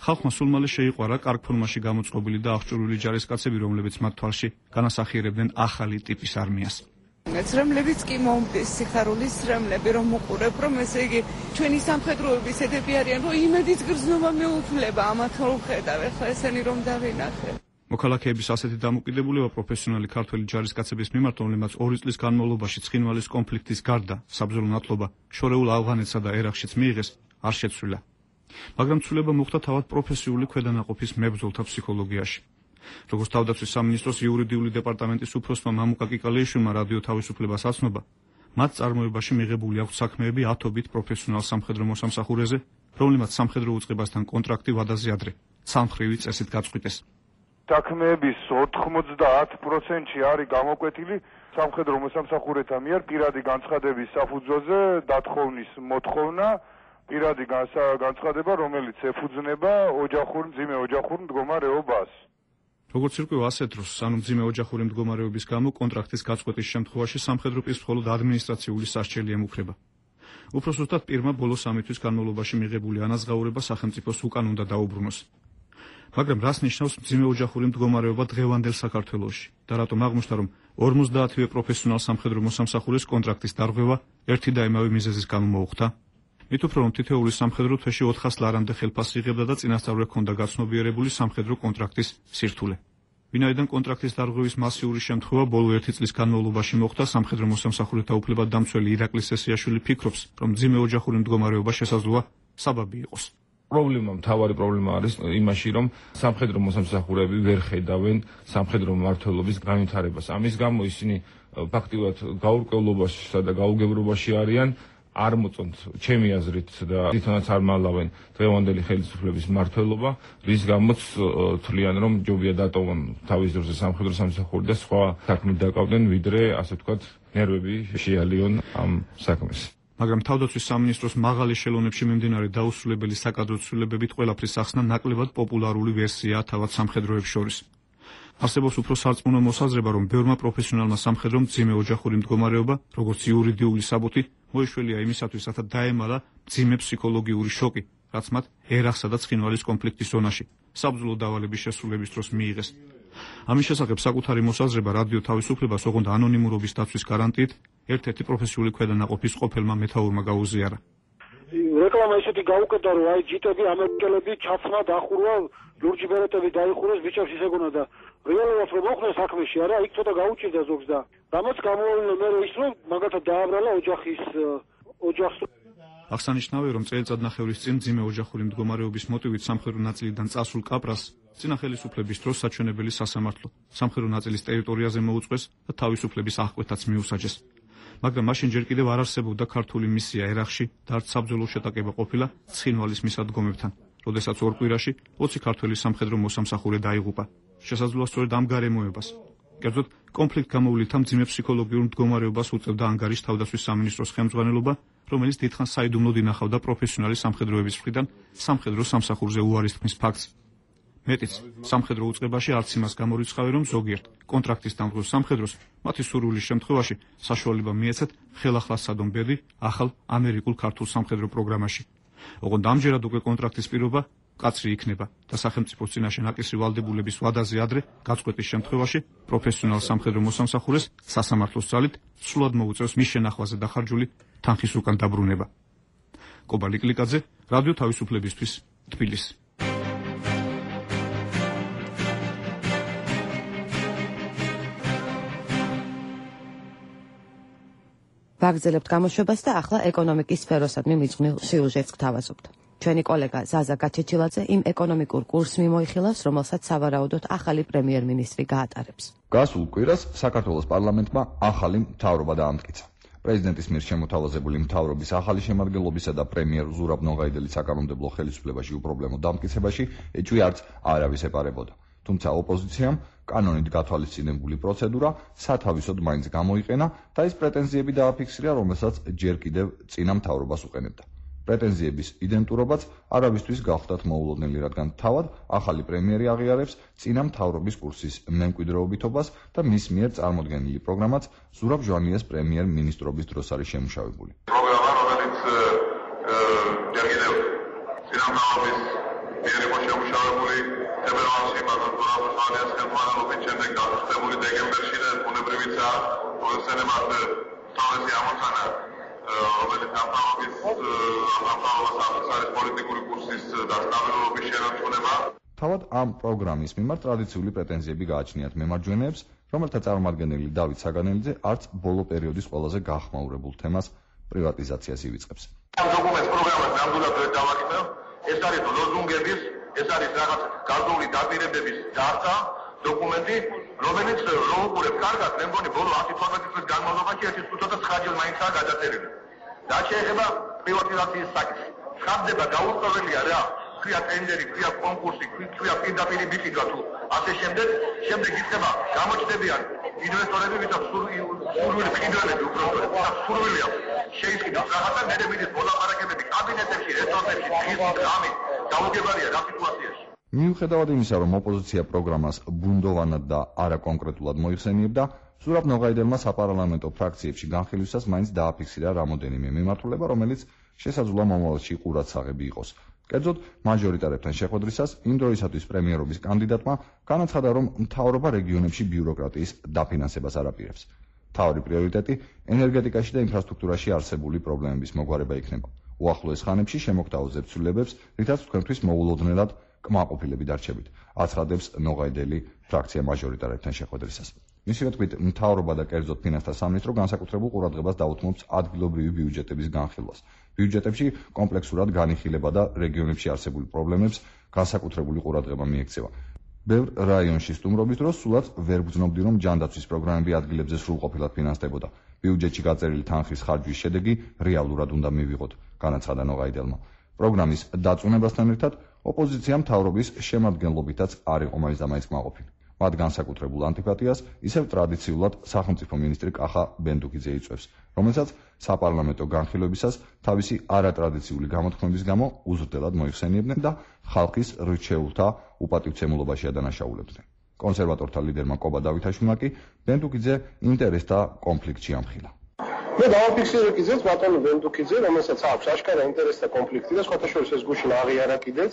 ხალხმა სულ მალე შეიყვარა კარგ ფორმაში გამოწყობილი და აღჭურვილი ჯარისკაცები, რომლებიც მათ თვალში განასახიერებდნენ ახალი ტიპის არმიას. ცრემლებიც კი მომდის, სიხარულის ცრემლები რომ უყურებ, რომ ესე იგი ჩვენი სამხედროების ედები არიან, რომ იმედის გრძნობა მეუფლება, ამათ რომ ხედავ, ახლა ესენი რომ დავინახე. მოქალაქეების ასეთი დამოკიდებულება პროფესიონალი ქართველი ჯარისკაცების მიმართ, რომლებმაც ორი წლის განმავლობაში ცხინვალის კონფლიქტის გარდა საბრძოლო ნათლობა შორეულ ავღანეთსა და ერაყშიც მიიღეს, არ შეცვლილა. მაგრამ ცვლილება მოხდა თავად პროფესიული ქვედანაყოფის მებრძოლთა ფსიქოლოგიაში. როგორც თავდაცვის სამინისტროს იურიდიული დეპარტამენტის უფროსმა მამუკა კიკალეიშვილმა რადიო თავისუფლებას აცნობა, მათ წარმოებაში მიღებული აქვს საქმეები ათობით პროფესიონალ სამხედრო მოსამსახურეზე, რომლებმაც სამხედრო უწყებასთან კონტრაქტი ვადაზე ადრე ცალმხრივი წესით გაწყვიტეს. საქმეების ოთხმოცდაათ პროცენტში არის გამოკვეთილი სამხედრო მოსამსახურეთა მიერ პირადი განცხადების საფუძველზე დათხოვნის მოთხოვნა, პირადი განცხადება, რომელიც ეფუძნება ოჯახურ მძიმე ოჯახურ მდგომარეობას. როგორც ირკვევა ასეთ დროს, ანუ მძიმე ოჯახური მდგომარეობის გამო კონტრაქტის გაწყვეტის შემთხვევაში სამხედრო პირს მხოლოდ ადმინისტრაციული სასჯელი ემუქრება. უფრო ზუსტად პირმა ბოლო სამი თვის განმავლობაში მიღებული ანაზღაურება სახელმწიფოს უკან უნდა დაუბრუნოს. მაგრამ რას ნიშნავს მძიმე ოჯახური მდგომარეობა დღევანდელ საქართველოში და რატომ აღმოჩნდა, რომ ორმოცდაათივე პროფესიონალ სამხედრო მოსამსახურის კონტრაქტის დარღვევა ერთი და იმავე მიზეზის გამო მოუხდა? მით უფრო რომ თითოეული სამხედრო თვეში ოთხას ლარამდე ხელფასს იღებდა და წინასწარ ჰქონდა გაცნობიერებული სამხედრო კონტრაქტის სირთულე. ვინაიდან კონტრაქტის დარღვევის მასიური შემთხვევა ბოლო ერთი წლის განმავლობაში მოხდა, სამხედრო მოსამსახურეთა უფლებადამცველი ირაკლი სესიაშვილი ფიქრობს, რომ მძიმე ოჯახური მდგომარეობა შესაძლოა საბაბი იყოს. პრობლემა, მთავარი პრობლემა არის იმაში, რომ სამხედრო მოსამსახურეები ვერ ხედავენ სამხედრო მმართველობის განვითარებას. ამის გამო ისინი ფაქტიურად გაურკვევლობაშისა და გაუგებრობაში არიან, არ მოწონთ ჩემი აზრით და თვითონაც არ მალავენ დღევანდელი ხელისუფლების მმართველობა, რის გამოც თვლიან, რომ ჯობია დატოვონ თავის დროზე სამხედრო სამსახური და სხვა საქმით დაკავდნენ, ვიდრე ასე ვთქვათ, ნერვები შეალიონ ამ საქმეს. მაგრამ თავდაცვის სამინისტროს მაღალი ხელოვნებში მიმდინარე დაუსრულებელი საკადრო ცვლილებებით ყველაფრის ახსნა ნაკლებად პოპულარული ვერსიაა თავად სამხედროებს შორის. არსებობს უფრო სარწმუნო მოსაზრება, რომ ბევრმა პროფესიონალმა სამხედრომ მძიმე ოჯახური მდგომარეობა, როგორც იურიდიული საბუთი, მოიშველია იმისათვის, რათა დაემალა მძიმე ფსიქოლოგიური შოკი, რაც მათ ერახსა და ცხინვალის კონფლიქტის ზონაში, საბრძოლო დავალების შესრულების დროს მიიღეს. ამის შესახებ საკუთარი მოსაზრება რადიო თავისუფლებას, ოღონდ ანონიმურობის დაცვის გარანტიით, ერთ-ერთი პროფესიული ქვედანაყოფის ყოფილმა მეთაურმა გაუზიარა. რეკლამა ისეთი გაუკეთა, რომ აი ჯიტები, ამერიკელები ჩაცმა დახურვა, ლურჯი ბერეტები დაიხურეს ბიჭებს ისეგონა და რეალურად რომ მოხდა საქმეში, არა, იქ ცოტა გაუჭირდა ზოგს და რამაც გამოვიდა მე ის რომ მაგათად დააბრალა ოჯახის ოჯახს. აღსანიშნავია, რომ წელიწადნახევრის წინ მძიმე ოჯახური მდგომარეობის მოტივით სამხედრო ნაწილიდან წასულ კაპრას წინა ხელისუფლების დროს საჩვენებელი სასამართლო სამხედრო ნაწილის ტერიტორიაზე მოუწყვეს და თავისუფლების აღკვეთაც მიუსაჯეს. მაგრამ მაშინ ჯერ კიდევ არ არსებობდა ქართული მისია ერახში და არც საბრძოლო შეტაკება ყოფილა ცხინვალის მისადგომებთან, როდესაც ორ კვირაში ოცი ქართველი სამხედრო მოსამსახურე დაიღუპა. შესაძლოა სწორედ ამ გარემოებას, კერძოდ კონფლიქტ გამოვლინთა მძიმე ფსიქოლოგიურ მდგომარეობას უწევდა ანგარის თავდაცვის სამინისტროს ხელმძღვანელობა, რომელიც დიდხანს საიდუმლოდ ინახავდა პროფესიონალი სამხედროების მხრიდან სამხედრო სამსახურზე უარის თქმის ფაქტს. მეტიც, სამხედრო უწყებაში არც იმას გამორიცხავენ, რომ ზოგიერთ კონტრაქტის დამდგმელ სამხედროს მათი სურვილის შემთხვევაში საშუალება მიეცათ ხელახლა ბედი ახალ ამერიკულ ქართულ სამხედრო პროგრამაში. ოღონდ ამჯერად უკვე კონტრაქტის პირობა კაცრი იქნება და სახელმწიფოს წინაშე ნაკისრი ვალდებულების ვადაზე ადრე გაწყვეტის შემთხვევაში პროფესიონალ სამხედრო მოსამსახურეს სასამართლოს ძალით სრულად მოუწევს მის შენახვაზე დახარჯული თანხის უკან დაბრუნება. კობა ლიკლიკაძე, რადიო თავისუფლებისთვის, თბილისი. ვაგრძელებთ გამოშვებას და ახლა ეკონომიკის სფეროსადმი მიძღვნილ სიუჟეტს გთავაზობთ. ჩვენი კოლეგა ზაზა გაჩეჩილაძე იმ ეკონომიკურ კურსს მიმოიხილავს, რომელსაც სავარაუდოდ ახალი პრემიერ-მინისტრი გაატარებს. გასულ კვირას საქართველოს პარლამენტმა ახალი მთავრობა დაამტკიცა. პრეზიდენტის მიერ შემოთავაზებული მთავრობის ახალი შემადგენლობისა და პრემიერ ზურაბ ნოღაიდელის საკანონმდებლო ხელისუფლებაში უპრობლემო დამტკიცებაში ეჭვი არც არავის ეპარებოდა. თუმცა ოპოზიციამ კანონით გათვალისწინებული პროცედურა სათავისოდ მაინც გამოიყენა და ის პრეტენზიები დააფიქსირა, რომელსაც ჯერ კიდევ წინა მთავრობას უყენებდა. პრეტენზიების იდენტურობაც არავისთვის გახდათ მოულოდნელი, რადგან თავად ახალი პრემიერი აღიარებს წინა მთავრობის კურსის მემკვიდრეობითობას და მის მიერ წარმოდგენილი პროგრამაც ზურაბ ჟვანიას პრემიერ-მინისტრობის დროს არის შემუშავებული. პროგრამა, რომელიც ჯერ კიდევ წინა მთავრობის მიერ იყო შემუშავებული თებერვალში, მაგრამ ზურაბ ჟვანიას ხელმძღვანელობით შემდეგ გახსნებული დეკემბერში და ბუნებრივია, პროფესიონალურად თავისი ამოცანა რომელიც ამთავრობის ამთავრობას არის პოლიტიკური კურსის დასტაბილურობის შენარჩუნება. თავად ამ პროგრამის მიმართ ტრადიციული პრეტენზიები გააჩნიათ მემარჯვენეებს, რომელთა წარმომადგენელი დავით საგანელიძე არც ბოლო პერიოდის ყველაზე გახმაურებულ თემას პრივატიზაციას ივიწყებს. ამ დოკუმენტს პროგრამას ნამდვილად ვერ დავაკითხებ. ეს არის ლოზუნგების, ეს არის რაღაც გარკვეული დაპირებების დარწა დოკუმენტი, რომელიც რომ უყურებს კარგად, მე მგონი ბოლო ათი თორმეტი წლის განმავლობაში ერთი ცუცოდა ცხრა ჯერ მაინცაა გადაწერილი. და შეეხება პრივატიზაციის საკითხს. ხდება გაურკვეველია რა, ქვია ტენდერი, ქვია კონკურსი, ქვია პირდაპირ ბიჭიდვა თუ ასე შემდეგ, შემდეგ იქნება გამოჩნდებიან ინვესტორები, ვისაც სურვილი მყიდველები უბრალოდ სურვილი აქვს. შეიქმნას რაღაცა მე მიდის მოლაპარაკებები კაბინეტებში, რესორტებში, დღის ღამით, გაუგებარია რა სიტუაციაში. მიუხედავად იმისა, რომ ოპოზიცია პროგრამას ბუნდოვანად და არაკონკრეტულად მოიხსენიებდა, ზურაბ ნოღაიდელმა საპარლამენტო ფრაქციებში განხილვისას მაინც დააფიქსირა რამოდენიმე მიმართულება, რომელიც შესაძლოა მომავალში ყურადსაღები იყოს. კერძოდ, მაჟორიტარებთან შეხვედრისას იმ დროისათვის პრემიერობის კანდიდატმა განაცხადა, რომ მთავრობა რეგიონებში ბიუროკრატიის დაფინანსებას არ აპირებს. მთავარი პრიორიტეტი ენერგეტიკაში და ინფრასტრუქტურაში არსებული პრობლემების მოგვარება იქნება. უახლოეს ხანებში შემოგთავაზ ცვლილებებს, რითაც თქვენთვის მოულოდნელად კმაყოფილები დარჩებით, აცხადებს ნოღაიდელი ფრაქცია მაჟორიტარებთან შეხვედრისას. მისივე თქმით, მთავრობა და კერძოდ ფინანსთა სამინისტრო განსაკუთრებულ ყურადღებას დაუთმობს ადგილობრივი ბიუჯეტების განხილვას. ბიუჯეტებში კომპლექსურად განიხილება და რეგიონებში არსებული პრობლემებს განსაკუთრებული ყურადღება მიექცევა. ბევრ რაიონში სტუმრობის დროს სულაც ვერ გძნობდი, რომ ჯანდაცვის პროგრამები ადგილებზე სრულყოფილად ფინანსდებოდა. ბიუჯეტში გაწერილი თანხის ხარჯვის შედეგი რეალურად უნდა მივიღოთ, განაცხადა ნოღაიდელმა. პროგრამის დაწუნებასთან ერთად ოპოზიცია მთავრობის შემადგენლობითაც არ იყო მაინც და მაინც კმაყოფილი. მათ განსაკუთრებულ ანტიპათიას ისევ ტრადიციულად სახელმწიფო მინისტრი კახა ბენდუკიძე იწვევს, რომელსაც საპარლამენტო განხილვებისას თავისი არატრადიციული გამოთქმების გამო უზრდელად მოიხსენიებდნენ და ხალხის რჩეულთა უპატივცემულობაში ადანაშაულებდნენ. კონსერვატორთა ლიდერმა კობა დავითაშვილმა კი ბენდუკიძე ინტერესთა კონფლიქტში ამხილა. მე დავაფიქსირე კიდეც ბატონო ბენდუკიძე, რომელსაც აქვს აშკარა ინტერესთა კონფლიქტი და სხვათა შორის ეს გუშინ აღიარა კიდეც.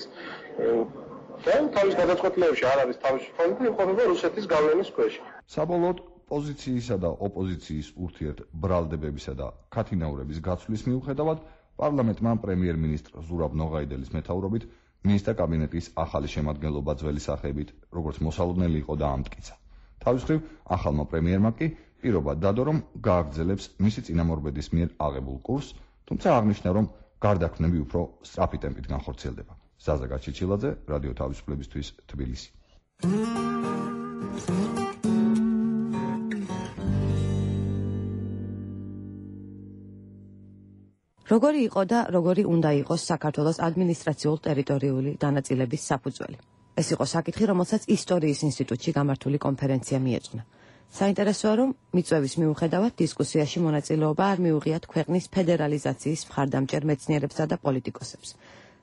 და თავის გადაწყვეტილებებში არ არის თავისუფალი და იმყოფება რუსეთის გავლენის ქვეშ. საბოლოოდ პოზიციისა და ოპოზიციის ურთიერთ ბრალდებებისა და ქათინაურების გაცვლის მიუხედავად პარლამენტმა პრემიერ-მინისტრ ზურაბ ნოღაიდელის მეთაურობით მინისტრთა კაბინეტის ახალი შემადგენლობა ძველი სახეებით, როგორც მოსალოდნელი იყო და ამტკიცა. თავის მხრივ ახალმა პრემიერმა კი პირობა დადო, რომ გააგრძელებს მისი წინამორბედის მიერ აღებულ კურსს, თუმცა აღნიშნა, რომ გარდაქმნები უფრო სწრაფი ტემპით განხორციელდება. ზაზა გაჩიჩილაძე, რადიო თავისუფლებისთვის, თბილისი. როგორი იყო და როგორი უნდა იყოს საქართველოს ადმინისტრაციულ-ტერიტორიული განაწილების საფუძველი? ეს იყო საკითხი, რომელსაც ისტორიის ინსტიტუტში გამართული კონფერენცია მიეძღვნა. საინტერესოა, რომ მიწვევის მიუხედავად დისკუსიაში მონაწილეობა არ მიუღიათ ქვეყნის ფედერალიზაციის მხარდამჭერ მეცნიერებსა და პოლიტიკოსებს.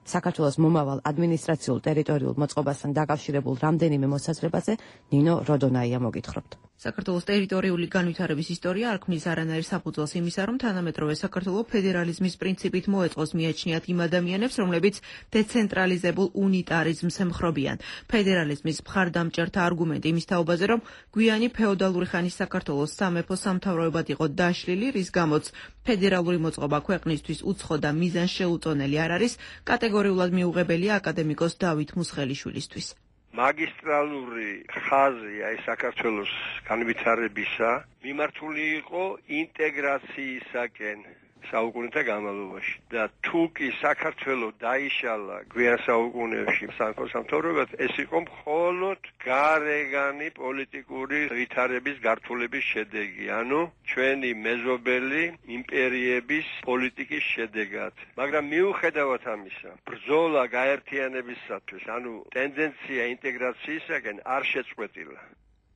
საქართველოს მომავალ ადმინისტრაციულ-ტერიტორიულ მოწყობასთან დაკავშირებულ რამდენიმე მოსაზრებაზე ნინო როდონაია მოგითხრობთ. საქართველოს ტერიტორიული განვითარების ისტორია არ ქმნის არანაირ საფუძველს იმისა, რომ თანამედროვე საქართველო ფედერალიზმის პრინციპით მოეწყოს მიაჩნიათ იმ ადამიანებს, რომლებიც დეცენტრალიზებულ უნიტარიზმს ემხრობიან. ფედერალიზმის მხარდამჭერთა არგუმენტი იმის თაობაზე, რომ გვიანი ფეოდალური ხანის საქართველოს სამეფო სამთავროებად იყო დაშლილი, რის გამოც ფედერალური მოწყობა ქვეყნისთვის უცხო და მიზანშეუწონელი არ არის, კატეგორიულად მიუღებელია აკადემიკოს დავით მუსხელიშვილისთვის. მაგისტრალური ხაზი აი საქართველოს განვითარებისა მიმართული იყო ინტეგრაციისაკენ საუკუნეთა განმავლობაში და თუ კი საქართველოს დაიშალა გვიან საუკუნეებში სამეფო სამთავროებად, ეს იყო მხოლოდ გარეგანი პოლიტიკური ვითარების გართულების შედეგი, ანუ ჩვენი მეზობელი იმპერიების პოლიტიკის შედეგად. მაგრამ მიუხედავად ამისა, ბრძოლა გაერთიანებისათვის, ანუ ტენდენცია ინტეგრაციისაკენ არ შეწყვეტილა.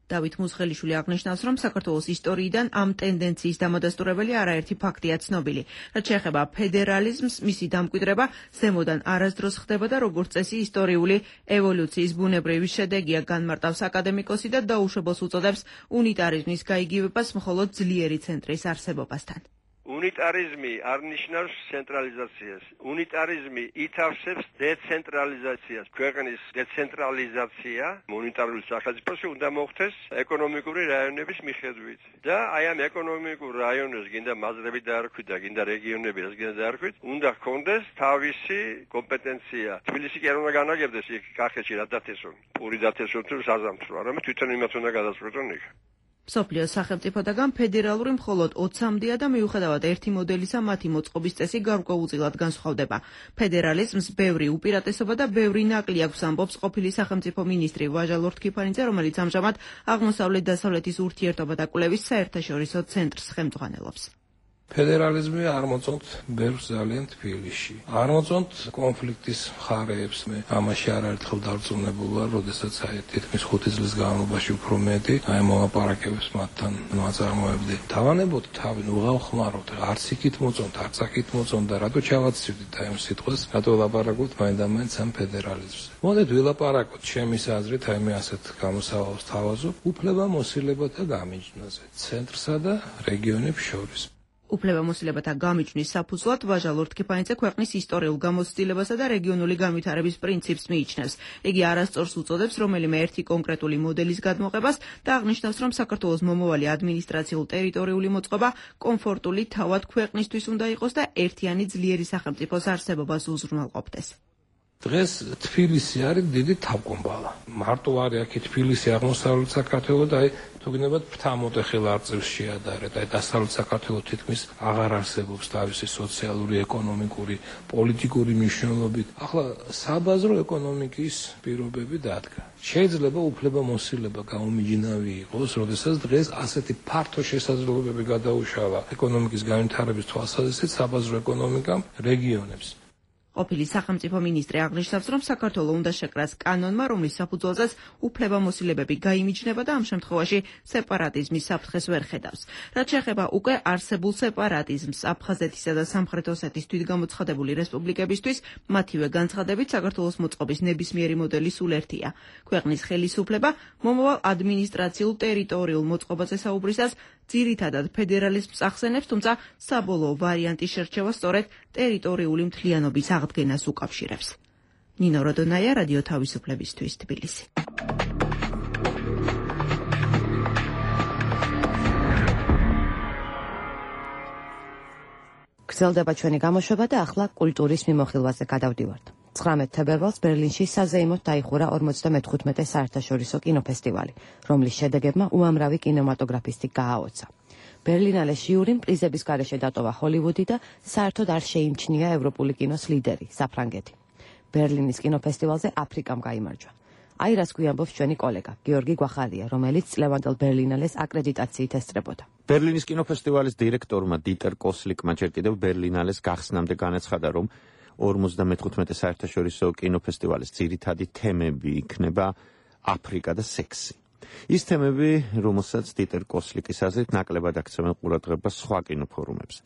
დავით მუსხელიშვილი აღნიშნავს, რომ საქართველოს ისტორიიდან ამ ტენდენციის დამადასტურებელი არაერთი ფაქტია ცნობილი. რაც შეეხება ფედერალიზმს, მისი დამკვიდრება ზემოდან არასდროს ხდება და როგორც წესი ისტორიული ევოლუციის ბუნებრივი შედეგია, განმარტავს აკადემიკოსი და დაუშვებელს უწოდებს უნიტარიზმის გაიგივებას მხოლოდ ძლიერი ცენტრის არსებობასთან. უნიტარიზმი არ ნიშნავს ცენტრალიზაციას. უნიტარიზმი ითავსებს დეცენტრალიზაციას. ქვეყნის დეცენტრალიზაცია მონეტარული სახელმწიფოში უნდა მოხდეს ეკონომიკური რაიონების მიხედვით. და აი ამ ეკონომიკურ რაიონებს გინდა მაზრები დაარქვით და გინდა რეგიონები რაც გინდა დაარქვით, უნდა ჰქონდეს თავისი კომპეტენცია. თბილისი კი არ უნდა განაგებდეს იქ კახეთში რა დათესონ. პური დათესონ თუ საზამთრო, არამედ თვითონ იმათ უნდა გადაწყვეტონ იქ. მსოფლიოს სახელმწიფოდაგან ფედერალური მხოლოდ ოცამდეა და მიუხედავად ერთი მოდელისა მათი მოწყობის წესი გარკვეულწილად განსხვავდება. ფედერალიზმს ბევრი უპირატესობა და ბევრი ნაკლი აქვს, ამბობს ყოფილი სახელმწიფო მინისტრი ვაჟა ლორთქიფანიძე, რომელიც ამჟამად აღმოსავლეთ-დასავლეთის ურთიერთობა და კვლევის საერთაშორისო ცენტრს ხელმძღვანელობს. ფედერალიზმი არ მოწონთ ბევრს ძალიან თბილისში. არ მოწონთ კონფლიქტის მხარეებს. მე ამაში არაერთხელ დარწმუნებული ვარ, როდესაც აი თითქმის ხუთი წლის განმავლობაში უფრო მეტი აი მოლაპარაკებებს მათთან ნაწარმოებდი. დავანებოთ თავი, ნუ გავხმაროთ, არც იქით მოწონთ, არც აქით მოწონთ და რატო ჩავაცივდით აი ამ სიტყვას, რატო ვლაპარაკობთ მაინდამაინც ამ ფედერალიზმზე. მოდით ვილაპარაკოთ ჩემის აზრით, აი მე ასეთ გამოსავალს თავაზობ, უფლებამოსილებათა გამიჯნაზე, ცენტრსა და რეგიონებს შორის. უფლებამოსილებათა გამიჯვნის საფუძვლად ვაჟა ლორთქიფანიძე ქვეყნის ისტორიულ გამოცდილებასა და რეგიონული განვითარების პრინციპს მიიჩნევს. იგი არასწორს უწოდებს რომელიმე ერთი კონკრეტული მოდელის გადმოღებას და აღნიშნავს, რომ საქართველოს მომავალი ადმინისტრაციულ-ტერიტორიული მოწყობა კომფორტული თავად ქვეყნისთვის უნდა იყოს და ერთიანი ძლიერი სახელმწიფოს არსებობას უზრუნველყოფდეს. დღეს თბილისი არის დიდი თავკომბალა. მარტო არის აქ თბილისი აღმოსავლეთ საქართველოს და აი თუ გინებათ ფრთამოტეხილ არწივს შეადარეთ. აი დასავლეთ საქართველოს თითქმის აღარ არსებობს თავისი სოციალური, ეკონომიკური, პოლიტიკური მნიშვნელობით. ახლა საბაზრო ეკონომიკის პირობები დადგა. შეიძლება უფლებამოსილება გაუმიჯნავი იყოს, როდესაც დღეს ასეთი ფართო შესაძლებლობები გადაუშალა ეკონომიკის განვითარების თვალსაზრისით საბაზრო ეკონომიკამ რეგიონებს. ყოფილი სახელმწიფო მინისტრი აღნიშნავს, რომ საქართველოს უნდა შეკრას კანონმა, რომლის საფუძველზეც უფლებამოსილებები გაიმიჯნება და ამ შემთხვევაში სეპარატიზმის საფრთხეს ვერ ხედავს. რაც შეეხება უკვე არსებულ სეპარატიზმს აფხაზეთისა და სამხრეთ ოსეთის თვითგამოცხადებული რესპუბლიკებისთვის, მათივე განცხადებით საქართველოს მოწყობის ნებისმიერი მოდელი სულ ერთია. ქვეყნის ხელისუფლება მომავალ ადმინისტრაციულ-ტერიტორიულ მოწყობაზე საუბრისას ძირითადად ფედერალიზმს ახსენებს, თუმცა საბოლოო ვარიანტის შერჩევა სწორედ ტერიტორიული მთლიანობის აღდგენას უკავშირებს. ნინო როდონაია, რადიო თავისუფლებისთვის, თბილისი. გრძელდება ჩვენი გამოშვება და ახლა კულტურის მიმოხილვაზე გადავდივართ. ცხრამეტ თებერვალს ბერლინში საზეიმოდ დაიხურა ორმოცდამეთხუთმეტე საერთაშორისო კინოფესტივალი, რომლის შედეგებმა უამრავი კინემატოგრაფისტი გააოცა. ბერლინალეს ჟიურიმ პრიზების გარეშე დატოვა ჰოლივუდი და საერთოდ არ შეიმჩნია ევროპული კინოს ლიდერი, საფრანგეთი. ბერლინის კინოფესტივალზე აფრიკამ გაიმარჯვა. აი რას გვიამბობს ჩვენი კოლეგა, გიორგი გვახალია, რომელიც წლევანდელ ბერლინალეს აკრედიტაციით ესწრებოდა. ბერლინის კინოფესტივალის დირექტორმა დიტერ კოსლიკმა ჯერ კიდევ ბერლინალეს გახსნამდე განაცხადა, რომ ორმოცდამეთხუთმეტე საერთაშორისო კინოფესტივალის ძირითადი თემები იქნება აფრიკა და სექსი. ის თემები, რომელსაც დიტერ კოსლიკის აზრით ნაკლებად აქცევენ ყურადღებას სხვა კინოფორუმებზე.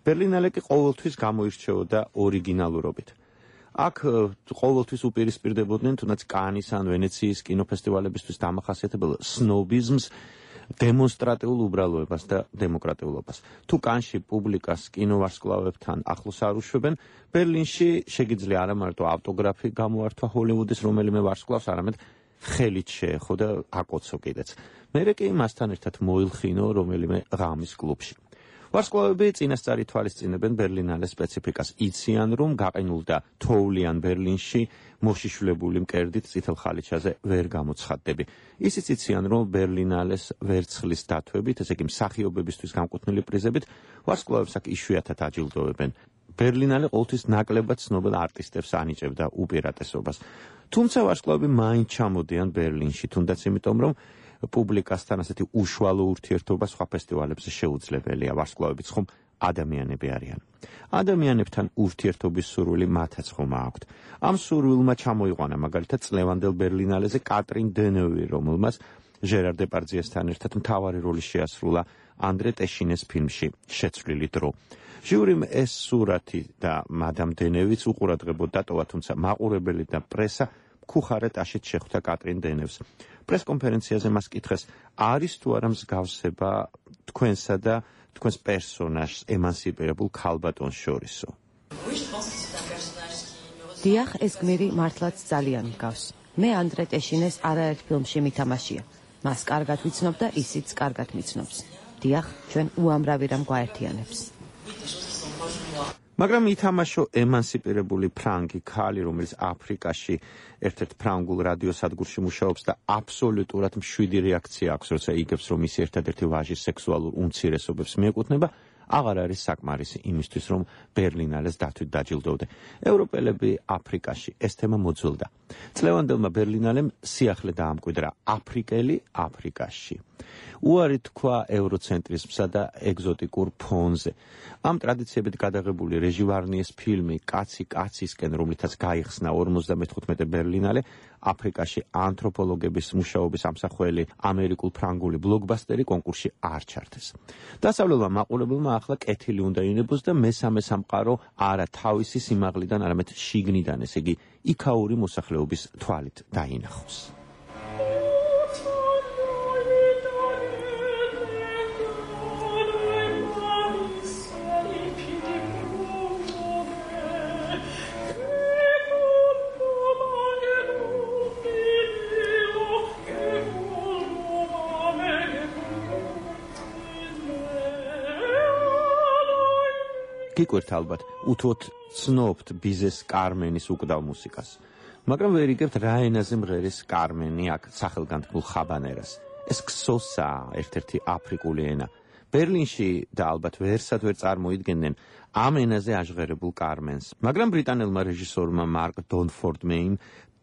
ბერლინალე კი ყოველთვის გამოირჩეოდა ორიგინალურობით. აქ ყოველთვის უპირისპირდებოდნენ თუნდაც კანის ან ვენეციის კინოფესტივალებისთვის დამახასიათებელ სნობიზმს, დემონსტრატიულ უბრალოებას და დემოკრატიულობას. თუ კანში პუბლიკას კინოვარსკვლავებთან ახლოს არ უშვებენ, ბერლინში შეგიძლია არა მარტო ავტოგრაფი გამოართვა ჰოლივუდის რომელიმე ვარსკვლავს, არამედ ხელით შეეხო და აკოცო კიდეც. მერე კი მასთან ერთად მოილხინო რომელიმე ღამის კლუბში. ვარსკვლავები წინასწარი თვალისწინებენ ბერლინალეს სპეციფიკას. იციან, რომ გაყინულ და თოვლიან ბერლინში მოშიშვლებული მკერდით წითელ ხალიჩაზე ვერ გამოცხადდები. ისიც იციან, რომ ბერლინალეს ვერცხლის დათვებით, ესე იგი მსახიობებისთვის გამკუთვნილი პრიზებით, ვარსკვლავებს აქ იშვიათად აჯილდოვებენ. ბერლინალე ყოველთვის ნაკლებად ცნობილ არტისტებს ანიჭებდა უპირატესობას. თუმცა ვარსკვლავები მაინც ჩამოდიან ბერლინში, თუნდაც იმიტომ, რომ პუბლიკასთან ასეთი უშუალო ურთიერთობა სხვა ფესტივალებზე შეუძლებელია. ვარსკვლავებიც ხომ ადამიანები არიან. ადამიანებთან ურთიერთობის სურვილი მათაც ხომ აქვთ. ამ სურვილმა ჩამოიყვანა მაგალითად წლევანდელ ბერლინალეზე კატრინ დენევი, რომელმაც ჟერარ დეპარდიესთან ერთად მთავარი როლი შეასრულა ანდრე ტეშინეს ფილმში შეცვლილი დრო. ჟიურიმ ეს სურათი და მადამ დენევიც უყურადღებოდ დატოვა, თუმცა მაყურებელი და პრესა მქუხარეთ აშეთ შეხვდა კატრინ დენევს. პრესკონფერენციაზე მას კითხეს, არის თუ არა მსგავსება თქვენსა და თქვენს პერსონაჟს ემანსიპირებულ ქალბატონს შორისო. დიახ, ეს გმირი მართლაც ძალიან მგავს. მე ანდრე ტეშინეს არაერთ ფილმში მითამაშია. მას კარგად ვიცნობ და ისიც კარგად მიცნობს. დიახ, ჩვენ უამრავი რამ გვაერთიანებს. მაგრამ ითამაშო ემანსიპირებული ფრანგი ქალი, რომელიც აფრიკაში ერთ-ერთ ფრანგულ რადიოსადგურში მუშაობს და აბსოლუტურად მშვიდი რეაქცია აქვს, როცა იგებს, რომ ის ერთადერთი ვაჟის სექსუალურ უმცირესობებს მიეკუთვნება, აღარ არის საკმარისი იმისთვის, რომ ბერლინალეს დათვით დაჯილდოვდე. ევროპელები აფრიკაში ეს თემა მოძველდა. წლევანდელმა ბერლინალემ სიახლე დაამკვიდრა აფრიკელი აფრიკაში. უარი თქვა ევროცენტრიზმსა და ეგზოტიკურ ფონზე. ამ ტრადიციებით გადაღებული რეჟი ვარნიეს ფილმი კაცი კაცისკენ, რომლითაც გაიხსნა ორმოცდამეთხუთმეტე ბერლინალე, აფრიკაში ანთროპოლოგების მუშაობის ამსახველი ამერიკულ ფრანგული ბლოკბასტერი კონკურსში არ ჩართეს. დასავლელმა მაყურებელმა ახლა კეთილი უნდა ინებოს და მესამე სამყარო არა თავისი სიმაღლიდან, არამედ შიგნიდან, ესე იგი იქაური მოსახლეობის თვალით დაინახოს. გიკვირთ ალბათ, უთუოდ ცნობთ ბიზეს კარმენის უკდავ მუსიკას. მაგრამ ვერ იგებთ რა ენაზე მღერის კარმენი აქ სახელგანთქმულ ხაბანერას. ეს ქსოსაა ერთ-ერთი აფრიკული ენა. ბერლინში და ალბათ ვერსად ვერ წარმოიდგენდნენ ამ ენაზე აჟღერებულ კარმენს. მაგრამ ბრიტანელმა რეჟისორმა მარკ დონფორდმეიმ,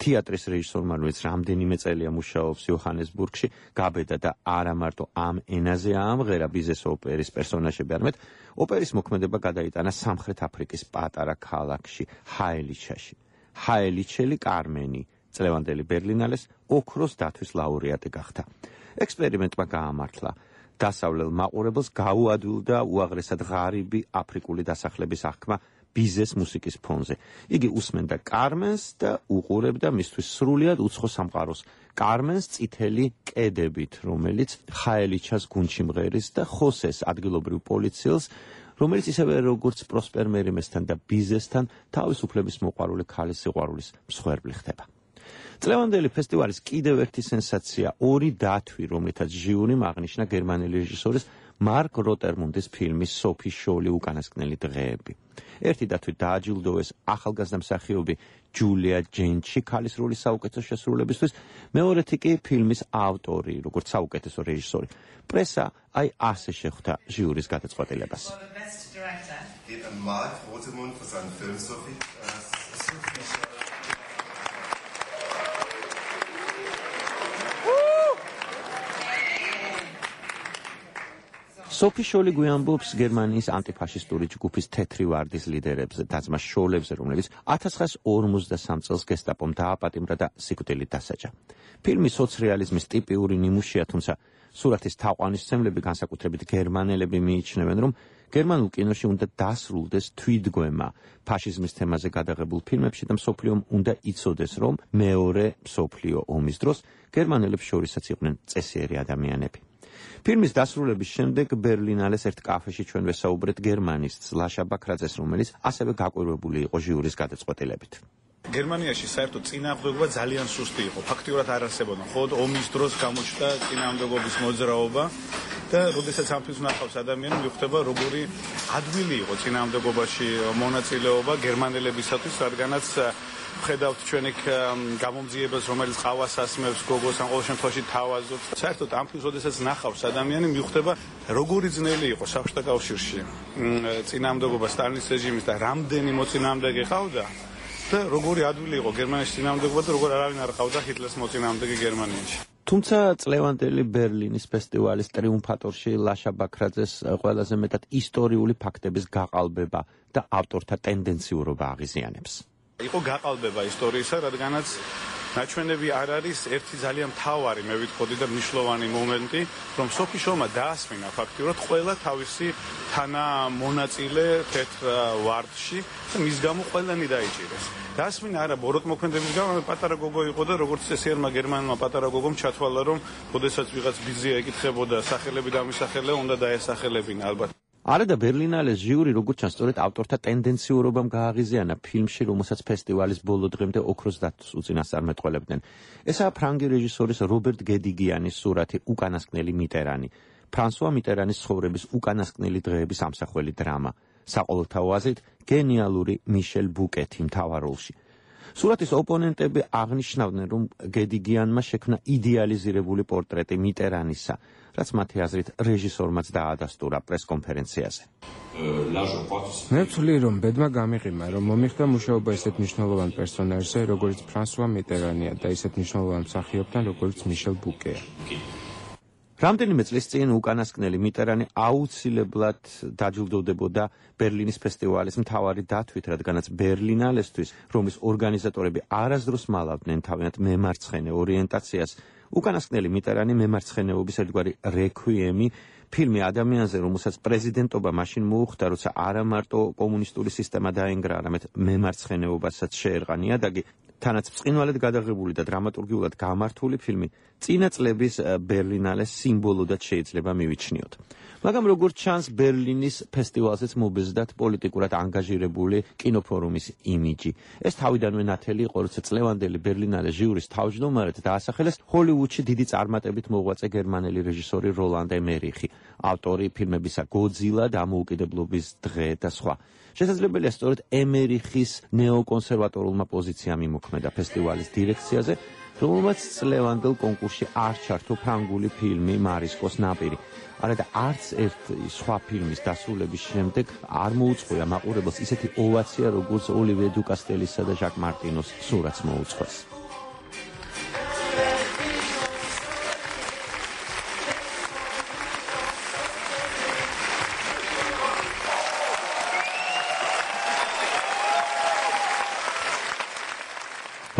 თეატრის რეჟისორმა, რომელიც რამდენიმე წელია მუშაობს იოჰანესბურგში, გაბედა და არა მარტო ამ ენაზე აამღერა ბიზეს ოპერის პერსონაჟები, არამედ ოპერის მოქმედება გადაიტანა სამხრეთ აფრიკის პატარა ქალაქში, ჰაელიჩაში. ჰაელიჩელი კარმენი, წლევანდელი ბერლინალეს ოქროს დათვის ლაურეატი გახდა. ექსპერიმენტმა გაამართლა. დასავლელ მაყურებელს გაუადვილდა უაღრესად ღარიბი აფრიკული დასახლების აღქმა ბიზეს მუსიკის ფონზე. იგი უსმენდა კარმენს და უყურებდა მისთვის სრულიად უცხო სამყაროს. კარმენს წითელი კედებით, რომელიც ხაელიჩას გუნდში მღერის და ხოსეს ადგილობრივ პოლიციელს, რომელიც ისევე როგორც პროსპერ მერიმესთან და ბიზესთან თავისუფლების მოყვარული ქალის სიყვარულის მსხვერპლი ხდება. წლევანდელი ფესტივალის კიდევ ერთი სენსაცია, ორი დათვი, რომლითაც ჟიურიმ აღნიშნა გერმანელი რეჟისორის მარკ როტერმუნდის ფილმი სოფი შოლი უკანასკნელი დღეები. ერთი დათვით დააჯილდოვეს ახალგაზრდა მსახიობი ჯულია ჯენჩი ქალის როლის საუკეთესო შესრულებისთვის, მეორეთი კი ფილმის ავტორი, როგორც საუკეთესო რეჟისორი. პრესა აი ასე შეხვდა ჟიურის გადაწყვეტილებას. Mark Rotemund für seinen Film Sophie. სოფი შოლი გვიამბობს გერმანიის ანტიფაშისტური ჯგუფის თეთრი ვარდის ლიდერებზე, დაძმა შოლებზე, რომლებიც ათას ცხრაასი ორმოცდასამ წელს გესტაპომ დააპატიმრა და სიკვდილით დასაჯა. ფილმი სოცრეალიზმის ტიპიური ნიმუშია, თუმცა სურათის თაყვანისმცემლები, განსაკუთრებით გერმანელები, მიიჩნევენ, რომ გერმანულ კინოში უნდა დასრულდეს თვითგვემა ფაშიზმის თემაზე გადაღებულ ფილმებში და მსოფლიომ უნდა იცოდეს, რომ მეორე მსოფლიო ომის დროს გერმანელებს შორისაც იყვნენ წესიერი ადამიანები. ფილმის დასრულების შემდეგ ბერლინალეს ერთ კაფეში ჩვენ ვესაუბრეთ გერმანისტს ლაშა ბაქრაძეს, რომელიც ასევე გაკვირვებული იყო ჟიურის გადაწყვეტილებით. გერმანიაში საერთოდ წინააღმდეგობა ძალიან სუსტი იყო. ფაქტიურად არ არსებობდა. მხოლოდ ომის დროს გამოჩნდა წინააღმდეგობის მოძრაობა და როდესაც ამ ფილმს ნახავს ადამიანი, მიხვდება როგორი ადვილი იყო წინააღმდეგობაში მონაწილეობა გერმანელებისათვის, რადგანაც ხედავთ ჩვენ იქ გამომძიებას, რომელიც ყავას ასმევს გოგოს, ან ყოველ შემთხვევაში თავაზობს. საერთოდ ამ ფილმს როდესაც ნახავს ადამიანი, მიხვდება როგორი ძნელი იყო საბჭოთა კავშირში წინააღმდეგობა სტალინის რეჟიმის და რამდენი მოწინააღმდეგე ყავდა და როგორი ადვილი იყო გერმანიის წინააღმდეგობა და როგორ არავინ არ ყავდა ჰიტლერის მოწინააღმდეგე გერმანიაში. თუმცა წლევანდელი ბერლინის ფესტივალის ტრიუმფატორში ლაშა ბაქრაძეს ყველაზე მეტად ისტორიული ფაქტების გაყალბება და ავტორთა ტენდენციურობა აღიზიანებს. იყო გაყალბება ისტორიისა, რადგანაც ნაჩვენები არ არის ერთი ძალიან მთავარი, მე ვიტყოდი და მნიშვნელოვანი მომენტი, რომ სოფი შოლმა დაასმინა ფაქტიურად ყველა თავისი თანამონაწილე თეთრ ვარდში და მის გამო ყველანი დაიჭირეს. დაასმინა არა ბოროტმოქმედების გამო, პატარა გოგო იყო და როგორც წესიერმა გერმანულმა პატარა გოგომ ჩათვალა, რომ შესაძლოა ვიღაც ბიზია ეკითხებოდა სახელები დამისახელე, უნდა დაესახელებინა ალბათ. არა და ბერლინალეს ჟიური როგორც ჩანს სწორედ ავტორთა ტენდენციურობამ გააღიზიანა ფილმში, რომელსაც ფესტივალის ბოლო დღემდე ოქროს დათვს უწინასწარმეტყველებდნენ. ესაა ფრანგი რეჟისორის რობერტ გედგიანის სურათი უკანასკნელი მიტერანი. ფრანსუა მიტერანის ცხოვრების უკანასკნელი დღეების ამსახველი დრამა. საყოველთაო აზრით გენიალური მიშელ ბუკეთი მთავარ როლში. სურათის ოპონენტები აღნიშნავდნენ, რომ გედგიანმა შექმნა იდეალიზირებული პორტრეტი მიტერანისა, რაც მათი აზრით რეჟისორმაც დაადასტურა პრესკონფერენციაზე. მე ვცვლი, რომ ბედმა გამიღიმა, რომ მომიხდა მუშაობა ისეთ მნიშვნელოვან პერსონაჟზე, როგორც ფრანსუა მიტერანია და ისეთ მნიშვნელოვან მსახიობთან, როგორც მიშელ ბუკეა. რამდენიმე წლის წინ უკანასკნელი მიტერანი აუცილებლად დაჯილდოვდებოდა ბერლინის ფესტივალის მთავარი დათვით, რადგანაც ბერლინალესთვის, რომლის ორგანიზატორები არასდროს მალავდნენ თავიანთ მემარცხენე ორიენტაციას, უკანასკნელი მიტერანი მემარცხენეობის ერთგვარი რექვიემი, ფილმი ადამიანზე, რომელსაც პრეზიდენტობა მაშინ მოუხდა, როცა არა მარტო კომუნისტური სისტემა დაენგრა, არამედ მემარცხენეობასაც შეერყა ნიადაგი, თანაც ბრწყინვალედ გადაღებული და დრამატურგიულად გამართული ფილმი წინა წლების ბერლინალეს სიმბოლოდაც შეიძლება მივიჩნიოთ. მაგრამ როგორც ჩანს, ბერლინის ფესტივალზეც მობეზდათ პოლიტიკურად ანგაჟირებული კინოფორუმის იმიჯი. ეს თავიდანვე ნათელი იყო, როცა წლევანდელი ბერლინალეს ჟიურის თავმჯდომარედ დაასახელეს ჰოლივუდში დიდი წარმატებით მოღვაწე გერმანელი რეჟისორი როლანდ ემერიხი, ავტორი ფილმებისა გოძილა, დამოუკიდებლობის დღე და სხვა. შესაძლებელია სწორედ ემერიხის ნეოკონსერვატორულმა პოზიციამ იმოქმედა ფესტივალის დირექციაზე, რომელმაც წლევანდელ კონკურსში არ ჩართო ფრანგული ფილმი მარისკოს ნაპირი. არადა არც ერთ სხვა ფილმის დასრულების შემდეგ არ მოუწყვია მაყურებელს ისეთი ოვაცია, როგორც ოლივიე დუკასტელისა და ჟაკ მარტინოს სურათს მოუწყვეს.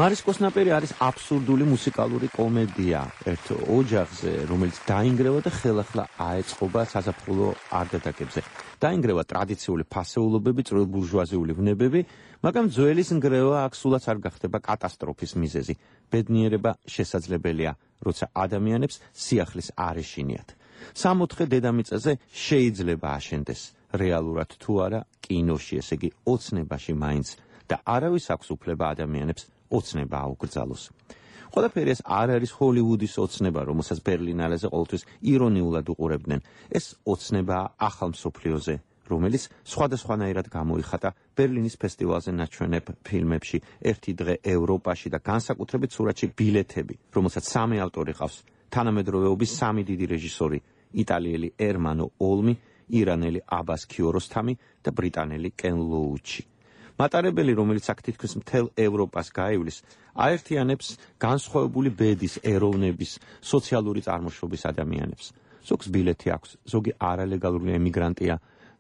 მარისკოს ნაპირი არის აბსურდული მუსიკალური კომედია ერთ ოჯახზე, რომელიც დაინგრევა და ხელახლა აეწყობა საზაფხულო არდადეგებზე. დაინგრევა ტრადიციული ფასეულობები, წვრილ ბურჟუაზიული ვნებები, მაგრამ ძველის ნგრევა აქ სულაც არ გახდება კატასტროფის მიზეზი. ბედნიერება შესაძლებელია, როცა ადამიანებს სიახლის არ ეშინიათ. სამოთხე დედამიწაზე შეიძლება აშენდეს, რეალურად თუ არა კინოში, ესე იგი ოცნებაში მაინც და არავის აქვს უფლება ადამიანებს ოცნება აუკრძალოს. ყველაფერი ეს არ არის ჰოლივუდის ოცნება, რომელსაც ბერლინალეზე ყოველთვის ირონიულად უყურებდნენ. ეს ოცნებაა ახალ მსოფლიოზე, რომელიც სხვადასხვანაირად გამოიხატა ბერლინის ფესტივალზე ნაჩვენებ ფილმებში ერთი დღე ევროპაში და განსაკუთრებით სურათში ბილეთები, რომელსაც სამი ავტორი ყავს: თანამედროვეობის სამი დიდი რეჟისორი, იტალიელი ერმანო ოლმი, ირანელი აბას ქიოროსთამი და ბრიტანელი კენ ლოუჩი. მატარებელი, რომელიც აქ თითქმის მთელ ევროპას გაივლის, აერთიანებს განსხვავებული ბედის, ეროვნების, სოციალური წარმოშობის ადამიანებს. ზოგს ბილეთი აქვს, ზოგი არალეგალური ემიგრანტია,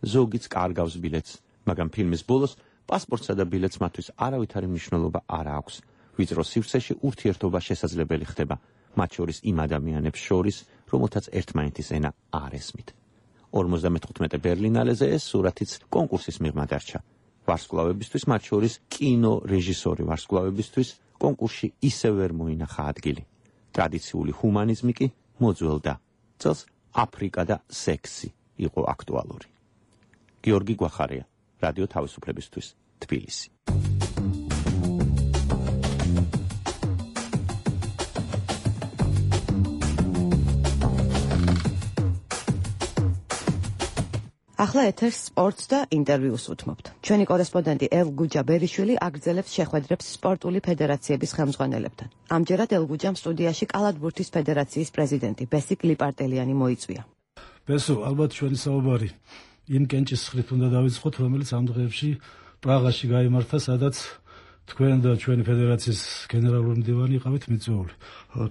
ზოგიც კარგავს ბილეთს, მაგრამ ფილმის ბოლოს პასპორტსა და ბილეთს მათთვის არავითარი მნიშვნელობა არ აქვს. ვიწრო სივრცეში ურთიერთობა შესაძლებელი ხდება, მათ შორის იმ ადამიანებს შორის, რომელთაც ერთმანეთის ენა არ ესმით. ორმოცდამეთხუთმეტე ბერლინალეზე ეს სურათიც კონკურსის მიღმა დარჩა. ვარსკვლავებისთვის, მათ შორის კინო რეჟისორი ვარსკვლავებისთვის, კონკურსში ისევ ვერ მოინახა ადგილი. ტრადიციული ჰუმანიზმი კი მოძველდა. წელს აფრიკა და სექსი იყო აქტუალური. გიორგი გვახარია, რადიო თავისუფლებისთვის, თბილისი. ახლა ეთერს სპორტს და ინტერვიუს უთმობთ. ჩვენი კორესპონდენტი ელგუჯა ბერიშვილი აგრძელებს შეხვედრებს სპორტული ფედერაციების ხელმძღვანელებთან. ამჯერად ელგუჯამ სტუდიაში კალათბურთის ფედერაციის პრეზიდენტი ბესიკ ლიპარტელიანი მოიწვია. ბესო, ალბათ ჩვენი საუბარი იმ კენჭის ხრით უნდა დავიწყოთ, რომელიც ამ დღეებში პრაღაში გაიმართა, სადაც თქვენ და ჩვენი ფედერაციის გენერალური მდივანი იყავით მიწვეული.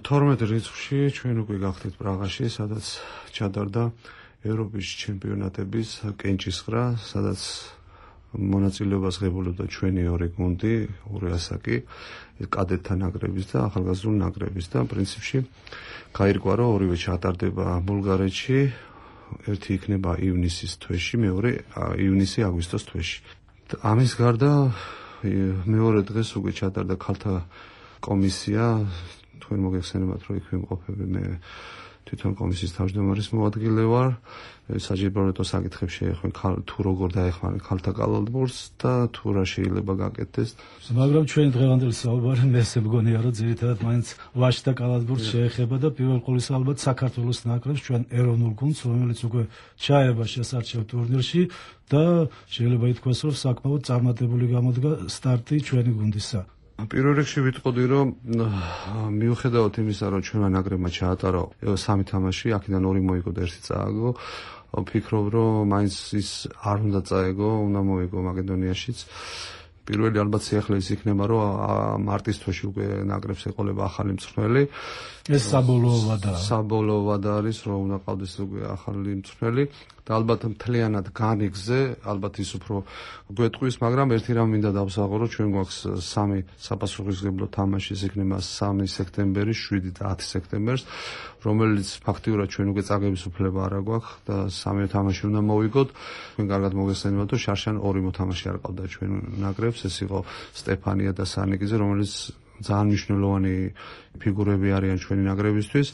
თორმეტ რიცხვში ჩვენ უკვე გახდით პრაღაში, სადაც ჩატარდა ევროპის ჩემპიონატების კენჭისყრა, სადაც მონაწილეობას ღებულობდა ჩვენი ორი გუნდი, ორი ასაკი, კადეტთა ნაკრების და ახალგაზრდულ ნაკრების და პრინციპში გაირკვა, რომ ორივე ჩატარდება ბულგარეთში, ერთი იქნება ივნისის თვეში, მეორე ივნისი აგვისტოს თვეში. ამის გარდა მეორე დღეს უკვე ჩატარდა ქალთა კომისია, თქვენ მოგეხსენებათ, რომ იქ ვიმყოფები მე თვითონ კომისიის თავმჯდომარის მოადგილე ვარ. საჯიბროეტო საკითხებს შეეხმენ თუ როგორ დაეხმარება ქალთა კალათბურთს და თუ რა შეიძლება გაკეთდეს. მაგრამ ჩვენი დღევანდელი საუბარი მე ესე მგონია, რომ ძირითადად მაინც ვაჟთა კალათბურთს შეეხება და პირველ ყოვლისა ალბათ საქართველოს ნაკრებს, ჩვენ ეროვნულ გუნდს, რომელიც უკვე ჩაება შესარჩევ ტურნირში და შეიძლება ითქვას, რომ საკმაოდ წარმატებული გამოდგა სტარტი ჩვენი გუნდისა. პირველ რიგში ვიტყოდი, რომ მიუხედავად იმისა, რომ ჩვენმა ნაკრებმა ჩაატარა სამი თამაში, აქედან ორი მოიგო და ერთი წააგო, ვფიქრობ, რომ მაინც ის არ უნდა წაეგო, უნდა მოიგო მაკედონიაშიც. პირველი ალბათ სიახლეის იქნება, რომ მარტის თვეში უკვე ნაკრებს ეყოლება ახალი მწვრთნელი. ეს საბოლოო ვადა. საბოლოო ვადა არის, რომ უნდა ყავდეს უკვე ახალი მწვრთნელი და ალბათ მთლიანად განიგზე, ალბათ ის უფრო გვეტყვის, მაგრამ ერთი რამ მინდა დავსაღო, რომ ჩვენ გვაქვს სამი საპასუხისმგებლო თამაში, ეს იქნება სამი სექტემბერი, შვიდი და ათი სექტემბერს, რომელიც ფაქტიურად ჩვენ უკვე წაგების უფლება არ აქვს და სამი თამაში უნდა მოვიგოთ. თქვენ კარგად მოგესწრებათ, რომ შარშან ორი მოთამაშე არ ყავდა ჩვენ ნაკრებს, ეს იყო სტეფანია და სანიკიძე, რომელიც ძალიან მნიშვნელოვანი ფიგურები არიან ჩვენი ნაკრებისთვის.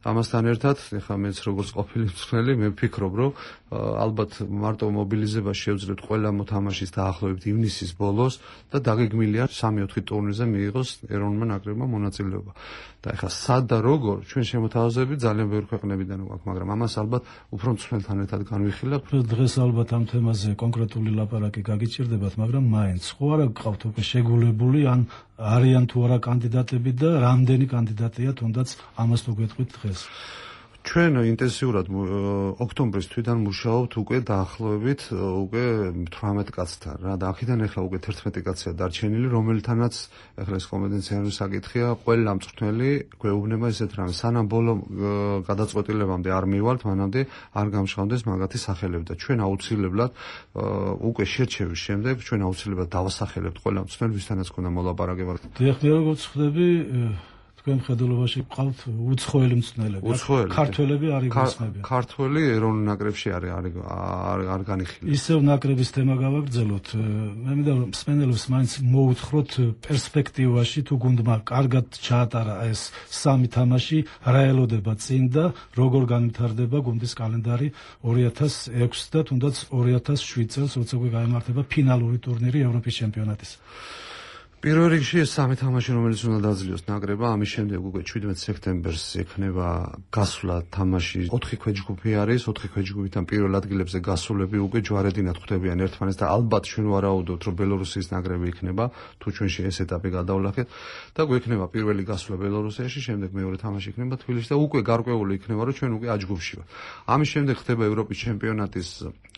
ამასთან ერთად, ეხლა მეც როგორც ყოფილი მწვრთნელი, მე ვფიქრობ, რომ ალბათ მარტო მობილიზება შევძლებთ ყველა მოთამაშის დაახლოებით ივნისის ბოლოს და დაგეგმილია სამი-ოთხი ტურნირზე მიიღოს ეროვნულმა ნაკრებმა მონაწილეობა. და ეხლა სად და როგორ ჩვენ შემოთავაზები ძალიან ბევრი ქვეყნებიდან გვაქვს, მაგრამ ამას ალბათ უფრო მწვრთნელთან ერთად განვიხილავთ. დღეს ალბათ ამ თემაზე კონკრეტული ლაპარაკი გაგიჭირდებათ, მაგრამ მაინც ხო არა გყავთ უკვე შეგულებული ან არიან თუ არა კანდიდატები და რამდენი კანდიდატია თუნდაც ამას თუ გეტყვით დღეს? ჩვენ ინტენსიურად ოქტომბრის თვიდან მუშაობთ უკვე დაახლოებით უკვე თვრამეტ კაცთან რა და აქედან ახლა უკვე თერთმეტი კაცია დარჩენილი, რომელთანაც ახლა ეს კომპეტენციური საკითხია, ყველა მწვრთნელი გვეუბნება ესეთ რამეს, სანამ ბოლო გადაწყვეტილებამდე არ მივალთ, მანამდე არ გამშხავდეს მაგათი სახელები და ჩვენ აუცილებლად უკვე შერჩევის შემდეგ ჩვენ აუცილებლად დავასახელებთ ყველა მწვრთნელი, ვისთანაც ქონდა მოლაპარაკება. დიახ, მე როგორც ხვდები, თქვენ მხედველობაში გყავთ უცხოელი მწვრთნელები. ქართველები არ იგულისხმებიან. ქართველი ეროვნულ ნაკრებში არ არ არ განიხილება. ისევ ნაკრების თემა გავაგრძელოთ. მე მინდა რომ მსმენელებს მაინც მოუთხროთ პერსპექტივაში თუ გუნდმა კარგად ჩაატარა ეს სამი თამაში, რა ელოდება წინ და როგორ განვითარდება გუნდის კალენდარი ორი ათას ექვსი და თუნდაც ორი ათას შვიდ წელს, როცა უკვე გაიმართება ფინალური ტურნირი ევროპის ჩემპიონატის. პირველ რიგში ეს სამი თამაში, რომელიც უნდა დაძლიოს ნაკრებმა, ამის შემდეგ უკვე შვიდმეტ სექტემბერს ექნება გასვლა თამაში. ოთხი ქვეჯგუფი არის, ოთხი ქვეჯგუფიდან პირველ ადგილებზე გასულები უკვე ჯვარედინად ხვდებიან ერთმანეთს და ალბათ ჩვენ ვარაუდობთ, რომ ბელორუსიის ნაკრები იქნება, თუ ჩვენში ეს ეტაპი გადავლახეთ და გვექნება პირველი გასვლა ბელორუსიაში, შემდეგ მეორე თამაში იქნება თბილისში და უკვე გარკვეული იქნება, რომ ჩვენ უკვე A ჯგუფში ვართ. ამის შემდეგ ხდება ევროპის ჩემპიონატის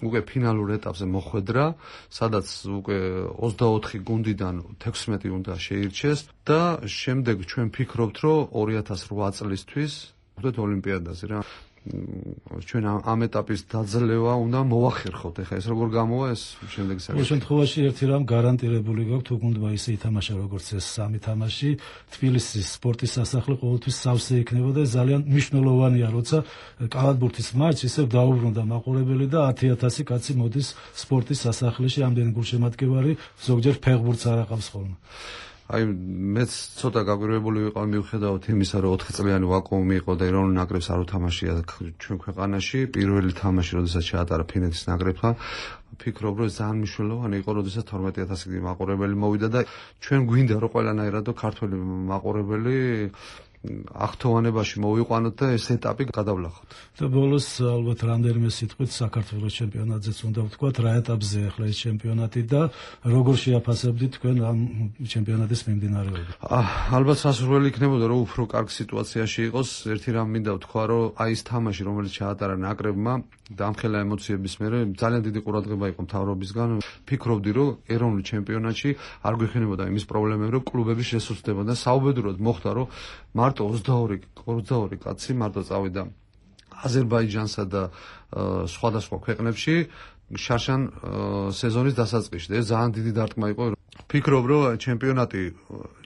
უკვე ფინალურ ეტაპზე მოხვედრა, სადაც უკვე ოცდაოთხი გუნდიდან თექვსმეტი უნდა შეირჩეს და შემდეგ ჩვენ ფიქრობთ, რომ ორი ათას რვა წლისთვის ვხვდეთ ოლიმპიადაზე რა. ჩვენ ამ ეტაპის დაძლევა უნდა მოახერხოთ. ეხლა ეს როგორ გამოვა ეს შემდეგ საკითხი. ყოველ შემთხვევაში ერთი რამ გარანტირებული გაქვთ, თუ გუნდმა ისე ითამაშა როგორც ეს სამი თამაში, თბილისის სპორტის სასახლე ყოველთვის სავსე იქნება და ძალიან მნიშვნელოვანია, როცა კალათბურთის მატჩი ისევ დაუბრუნდა მაყურებელი და ათი ათასი კაცი მოდის სპორტის სასახლეში, ამდენი გულშემატკივარი ზოგჯერ ფეხბურთს არ აყავს ხოლმე. აი მეც ცოტა გაგვირვებული ვიყავ მიუხედავად იმისა, რომ ოთხი წლიანი ვაკუუმი იყო და ეროვნულ ნაკრებს არ უთამაშია ჩვენ ქვეყანაში. პირველი თამაში, როდესაც შეატარა ფინეთის ნაკრებთან, ფიქრობ, რომ ძალიან მნიშვნელოვანი იყო, როდესაც თორმეტი ათასი მაყურებელი მოვიდა და ჩვენ გვინდა, რომ ყველანაირად ქართველი მაყურებელი ახთოვანებაში მოვიყვანოთ და ეს ეტაპი გადავლახოთ. და ბოლოს ალბათ რამდენიმე სიტყვით საქართველოს ჩემპიონატზეც უნდა ვთქვათ, რა ეტაპზე ახლა ეს ჩემპიონატი და როგორ შეაფასებდით თქვენ ამ ჩემპიონატის მიმდინარეობა? ალბათ სასურველი იქნებოდა, რომ უფრო კარგ სიტუაციაში იყოს. ერთი რამ მინდა ვთქვა, რომ აი ეს თამაში, რომელიც ჩაატარა ნაკრებმა და ამხელა ემოციების მერე ძალიან დიდი ყურადღება იყო მთავრობისგან. ფიქრობდი, რომ ეროვნულ ჩემპიონატში არ გვეხინებოდა იმის პრობლემები, რომ კლუბები შესუსტდებოდა. საუბედუროდ მოხდა, რომ მარტო ოცდაორი კაცი მარტო წავიდა აზერბაიჯანსა და სხვადასხვა ქვეყნებში შარშან სეზონის დასაწყისში და ეს ძალიან დიდი დარტყმა იყო. ფიქრობ, რომ ჩემპიონატი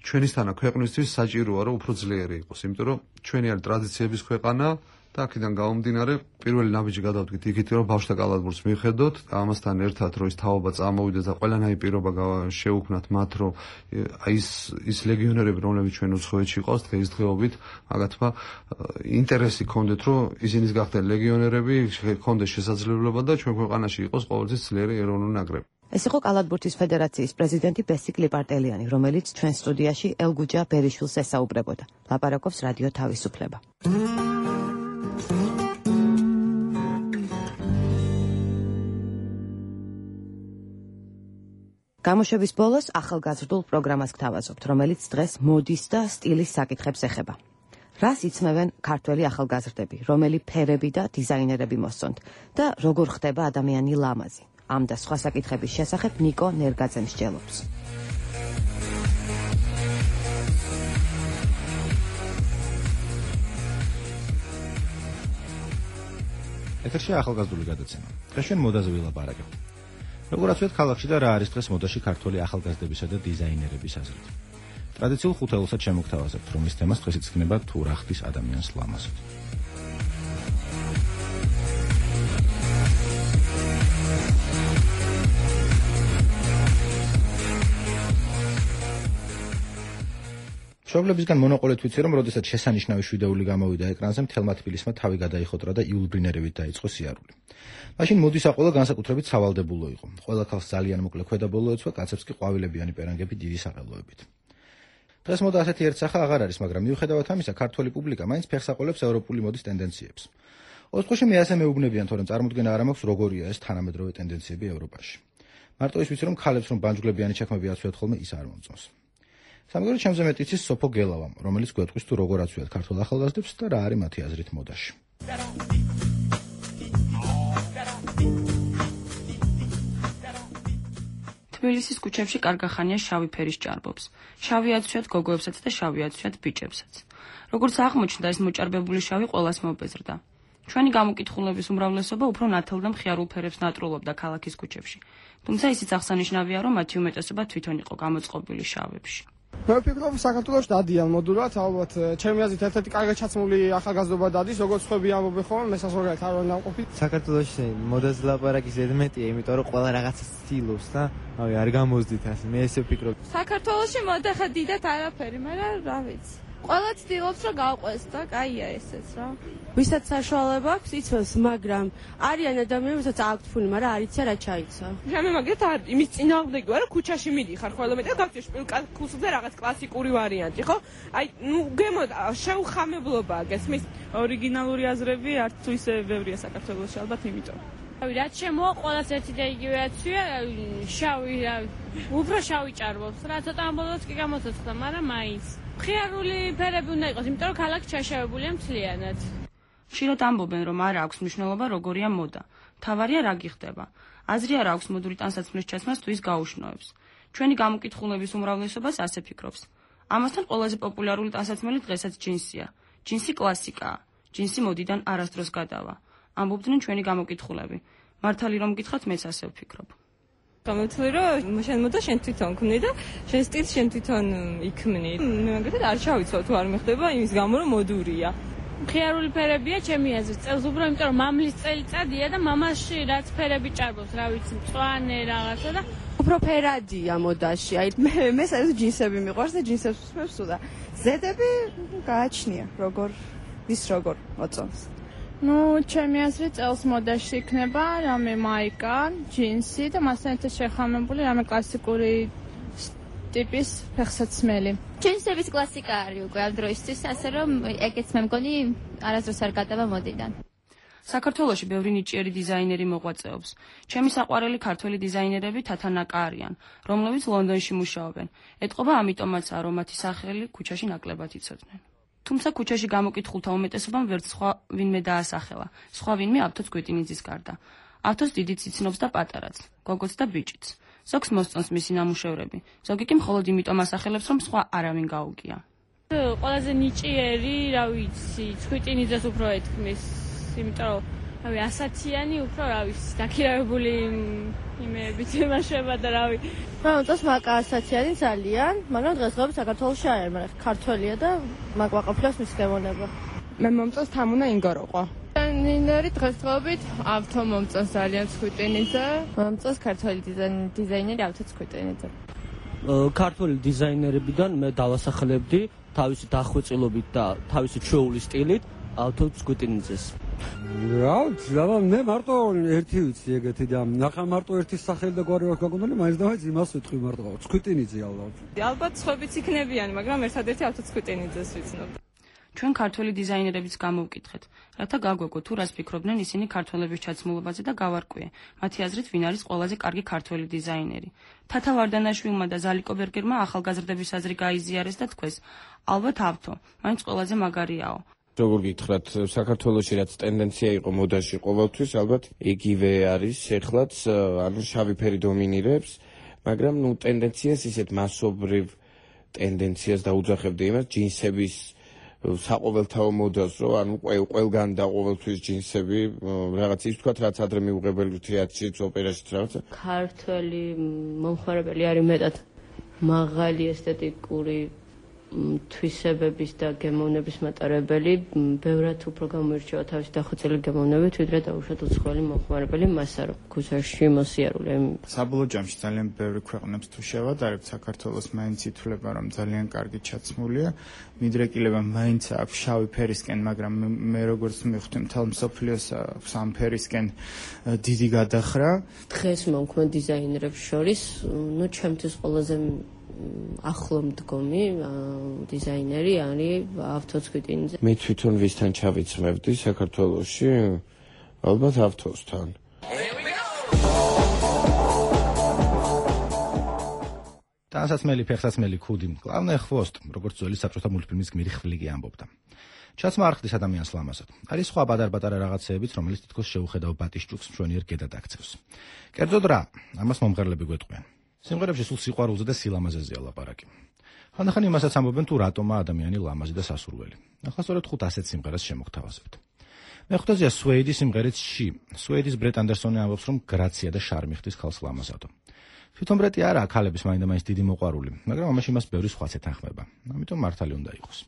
ჩვენისთანა ქვეყნისთვის საჭიროა, რომ უფრო ძლიერი იყოს, იმიტომ რომ ჩვენი არის ტრადიციების ქვეყანა და აქედან გამომდინარე პირველი ნაბიჯი გადავდგით იქით, რომ ბავშვთა კალათბურთს მივხედოთ, ამასთან ერთად რომ ის თაობა წამოვიდეს და ყველანაირი პირობა შეუქმნათ მათ, რომ ის ის ლეგიონერები, რომლებიც ჩვენ უცხოეთში ყავს დღესდღეობით, მაგათმა ინტერესი ჰქონდეთ, რომ ისინი გახდნენ ლეგიონერები, ჰქონდეს შესაძლებლობა და ჩვენ ქვეყანაში იყოს ყოველთვის ძლიერი ეროვნული ნაკრები. ეს იყო კალათბურთის ფედერაციის პრეზიდენტი ბესიკ ლიპარტელიანი, რომელიც ჩვენ სტუდიაში ელგუჯა ბერიშვილს ესაუბრებოდა. ლაპარაკობს რადიო თავისუფლება. გამოშვების ბოლოს ახალგაზრდულ პროგრამას გთავაზობთ, რომელიც დღეს მოდის და სტილის საკითხებს ეხება. რას იცმევენ ქართველი ახალგაზრდები, რომელი ფერები და დიზაინერები მოსწონთ და როგორ ხდება ადამიანი ლამაზი? ამ და სხვა საკითხების შესახებ ნიკო ნერგაძე მსჯელობს. ეთერში ახალგაზრდული გადაცემა. დღეს ჩვენ მოდაზე ვილაპარაკებთ. როგორაც ვთქვით, ქალაქში და რა არის დღეს მოდაში ქართველი ახალგაზრდებისა და დიზაინერების აზრით. ტრადიციულ ხუთეულსაც შემოგთავაზებთ, რომ ის თემას დღეს იქნება თუ რა ხდის ადამიანს ლამაზად. მშობლებისგან მონოყოლეთ ვიცი, რომ როდესაც შესანიშნავი შვიდეული გამოვიდა ეკრანზე, მთელმა თბილისმა თავი გადაიხოტრა და იულბრინერებით დაიწყო სიარული. მაშინ მოდისაყოლა განსაკუთრებით სავალდებულო იყო. ყველა ქალს ძალიან მოკლე ქვედაბოლო ეცვა, კაცებს კი ყვავილებიანი პერანგები დიდი სახელოებით. დღეს მოდა ასეთი ერთსახა აღარ არის, მაგრამ მიუხედავად ამისა, ქართველი პუბლიკა მაინც ფეხს აყოლებს ევროპული მოდის ტენდენციებს. ოთხოში მე ასე მეუბნებიან, თორემ წარმოდგენა არ მაქვს, როგორია ეს თანამედროვე ტენდენციები ევროპაში. მარტო ის ვიცი, რომ ქალებს რომ ბანჯგლებიანი ჩექმები აცვიათ ხოლმე, ის არ მომწონს. სამგორი ჩემზე მეტ იცის სოფო გელავამ, რომელიც გვეტყვის თუ როგორ აცვიათ ქართულ ახალგაზრდებს და რა არის მათი აზრით მოდაში. თბილისის ქუჩებში კარგახანია შავი ფერის ჭარბობს. შავი აცვიათ გოგოებსაც და შავი აცვიათ ბიჭებსაც. როგორც აღმოჩნდა, ეს მოჭარბებული შავი ყველას მობეზრდა. ჩვენი გამოკითხულების უმრავლესობა უფრო ნათელ და მხიარულ ფერებს ნატრულობდა ქალაქის ქუჩებში. თუმცა ისიც აღსანიშნავია, რომ მათი უმეტესობა თვითონ იყო გამოწყობილი შავებში. მე ვფიქრობ, საქართველოში დადიან მოდულად, ალბათ ჩემი აზრით ერთ-ერთი კარგად ჩაცმული ახალგაზრდობა დადის, როგორც ხვები ამბობენ ხოლმე, მე საზოგადოებრივ არ ვარ ნაყოფი. საქართველოში მოდაზე ლაპარაკი ზედმეტია, იმიტომ რომ ყველა რაღაცა ცდილობს და ავი არ გამოზდით ასე. მე ესე ვფიქრობ. საქართველოში მოდა ხა დიდად არაფერი, მაგრამ რა ვიცი. ყველა ცდილობს რომ გავყვეს და კაია ესეც რა. ვისაც საშუალება აქვს იცავს, მაგრამ არიან ადამიანები, ვისაც აქვთ ფული, მაგრამ არ იციან რა ჩაიცა. მე მაგათ არ იმის წინააღმდეგი ვარ, ქუჩაში მიდიხარ ხოლმე და გავწევ კლუბზე რაღაც კლასიკური ვარიანტი, ხო? აი, ნუ გემო შეუხამებლობაა, გესმის? ორიგინალური აზრები არც თუ ისე ბევრია საქართველოში, ალბათ იმიტომ. რავი, რაც შემოა, ყველას ერთი და იგივე აცვია, შავი, უფრო შავი ჭარბობს. რა ცოტა ამბოლოს კი გამოცოცხლა, მაგრამ მაინც. მხიარული ფერები უნდა იყოს, იმიტომ რომ ქალაქი ჩაშავებულია მთლიანად. ხშირად ამბობენ, რომ არ აქვს მნიშვნელობა როგორია მოდა. მთავარია რა გიხდება. აზრი არ აქვს მოდური ტანსაცმლის ჩაცმას თუ ის გაუშნოებს. ჩვენი გამოკითხულების უმრავლესობას ასე ფიქრობს. ამასთან ყველაზე პოპულარული ტანსაცმელი დღესაც ჯინსია. ჯინსი კლასიკაა. ჯინსი მოდიდან არასდროს გადავა. ამბობდნენ ჩვენი გამოკითხულები. მართალი რომ გითხრათ, მეც ასე ვფიქრობ. გამოცვლი რომ შენ მოდა შენ თვითონ ქმნი და შენ სტილს შენ თვითონ იქმნი. მე მაგათად არ ჩავიცვალ თუ არ მეხდება იმის გამო რომ მოდურია. მხიარული ფერებია ჩემი აზრით. წელს უფრო იმიტომ რომ მამლის წელიწადია და მამაში რაც ფერები ჭარბობს, რა ვიცი, მწვანე რაღაცა და უფრო ფერადია მოდაში. აი მე მე საერთოდ ჯინსები მიყვარს და ჯინსებს ვსმევს და ზედები გააჩნია როგორ ვის როგორ მოწონს. ნუ ჩემი აზრით წელს მოდაში იქნება რამე მაიკა, ჯინსი და მასთან ერთად შეხამებული რამე კლასიკური ტიპის ფეხსაცმელი. ჯინსების კლასიკა არის უკვე ამ დროისთვის, ასე რომ ეგეც მე მგონი არასდროს არ გადავა მოდიდან. საქართველოში ბევრი ნიჭიერი დიზაინერი მოღვაწეობს. ჩემი საყვარელი ქართველი დიზაინერები თათანაკა არიან, რომლებიც ლონდონში მუშაობენ. ეტყობა ამიტომაცაა, რომ მათი სახელი ქუჩაში ნაკლებად იცოდნენ. თუმცა ქუჩაში გამოკითხულთა უმეტესობამ ვერც სხვა ვინმე დაასახელა. სხვა ვინმე ავთოს გვეტინიძის გარდა. ავთოს დიდიც იცნობს და პატარაც, გოგოც და ბიჭიც. ზოგს მოსწონს მისი ნამუშევრები, ზოგი კი მხოლოდ იმიტომ ასახელებს, რომ სხვა არავინ გაუგია. ყველაზე ნიჭიერი, რა ვიცი, ცხვიტინიძეს უფრო ეთქმის, იმიტომ რომ რავი, ასათიანი უფრო რა ვიცი, დაქირავებული იმეებით იმაშება და რავი. მომწონს მაკა ასათიანი ძალიან, მაგრამ დღესდღეობით საქართველოში არ არის, მაგრამ ქართველია და მაკვაყფლებს მის გემონება. მე მომწონს თამუნა ინგოროყვა. დიზაინერი დღესდღეობით ავთო მომწონს ძალიან ცხვიტინიძე. მომწონს ქართველი დიზაინერი ავთო ცხვიტინიძე. ქართველი დიზაინერებიდან მე დავასახელებდი თავისი დახვეწილობით და თავისი ჩვეული სტილით ავთო ცხვიტინიძეს. რა ვიცი, რა მე მარტო ერთი ვიცი ეგეთი და ნახა მარტო ერთი სახელი და გვარი აქვს გაგონდილი, მაინც და მაინც იმას ვიტყვი მარტო ცხვიტინიძე ალბათ. ალბათ სხვებიც იქნებიან, მაგრამ ერთადერთი ავთო ცხვიტინიძეს ვიცნობ. ჩვენ ქართველი დიზაინერებიც გამოვკითხეთ, რათა გაგვეგო თუ რას ფიქრობდნენ ისინი ქართველების ჩაცმულობაზე და გავარკვიე. მათი აზრით, ვინ არის ყველაზე კარგი ქართველი დიზაინერი. თათა ვარდანაშვილმა და ზალიკო ბერგერმა ახალგაზრდების აზრი გაიზიარეს და თქვეს, ალბათ ავთო, მაინც ყველაზე მაგარიაო. როგორ გითხრათ, საქართველოში რაც ტენდენცია იყო მოდაში ყოველთვის, ალბათ იგივე არის, ეხლაც ანუ შავი ფერი დომინირებს, მაგრამ ნუ ტენდენციას ისეთ მასობრივ ტენდენციას დაუძახებდი იმას, ჯინსების საყოველთაო მოდას, რომ ანუ ყველგან და ყოველთვის ჯინსები, რაღაც ის თქვათ, რაც ადრე მიუღებელი თეატრშიც, ოპერაშიც რაღაცა. ქართველი მომხმარებელი არის მეტად მაღალი ესთეტიკური თვისებების და გემოვნების მატარებელი ბევრად უფრო გამოირჩევა თავისი დახვეწილი გემოვნებით, ვიდრე დაუშვათ უცხოელი მომხმარებელი მასა, რომ ქუსაში მოსიარულე. საბოლოო ჯამში ძალიან ბევრი ქვეყნებს თუ შევადარებთ, საქართველოს მაინც ითვლება, რომ ძალიან კარგი ჩაცმულია. მიდრეკილება მაინც აქვს შავი ფერისკენ, მაგრამ მე როგორც მივხვდი, მთელ მსოფლიოს სამ ფერისკენ დიდი გადახრა. დღეს მომქმედ დიზაინერებს შორის, ну, ჩემთვის ყველაზე ახლო მდგომი დიზაინერი არის ავთოს-ქვიტინიძე. მე თვითონ ვისთან ჩავიცმევდი საქართველოში? ალბათ ავთოსთან. ტანსაცმელი, ფეხსაცმელი, ქუდი, კლავნე ხვოსტ, როგორც ძველი საბჭოთა მულტფილმის გმირი ხვლიკი ამბობდა. ჩაცმა არ ხდის ადამიანს ლამაზად. არის სხვა პატარ-პატარა რაღაცეებიც, რომელიც თითქოს შეუხედავ ბატისჭუქს მშვენიერ გედად აქცევს. კერძოდ რა, ამას მომღერლები გვეტყვიან. სიმღერებში სულ სიყვარულზე და სილამაზეზეა ლაპარაკი. ხანდახან იმასაც ამბობენ, თუ რატომა ადამიანი ლამაზი და სასურველი. ახლა სწორედ ხუთ ასეთ სიმღერას შემოგთავაზებთ. მეხუთეზეა სუეიდის სიმღერით ში. სუეიდის ბრეტ ანდერსონი ამბობს, რომ გრაცია და შარმი ხდის ქალს ლამაზადო. თვითონ ბრეტი არაა ქალების მაინდა-მაინც დიდი მოყვარული, მაგრამ ამაში მას ბევრი სხვაც ეთანხმება. ამიტომ მართალი უნდა იყოს.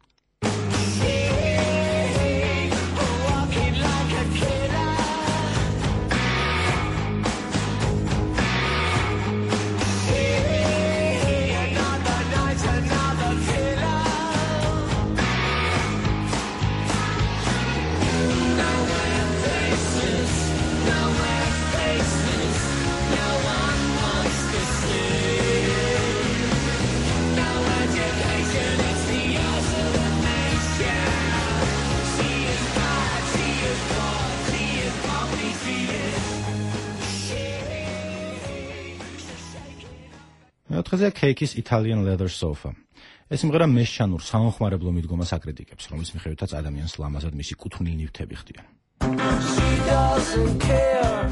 მეოთხეზე Cake-ის Italian Leather Sofa. ეს სიმღერა მესჩანურ საუნხმარებლო მიდგომას აკრიტიკებს, რომლის მიხედვითაც ადამიანს ლამაზად მისი კუთვნილი ნივთები ხდიან. She doesn't care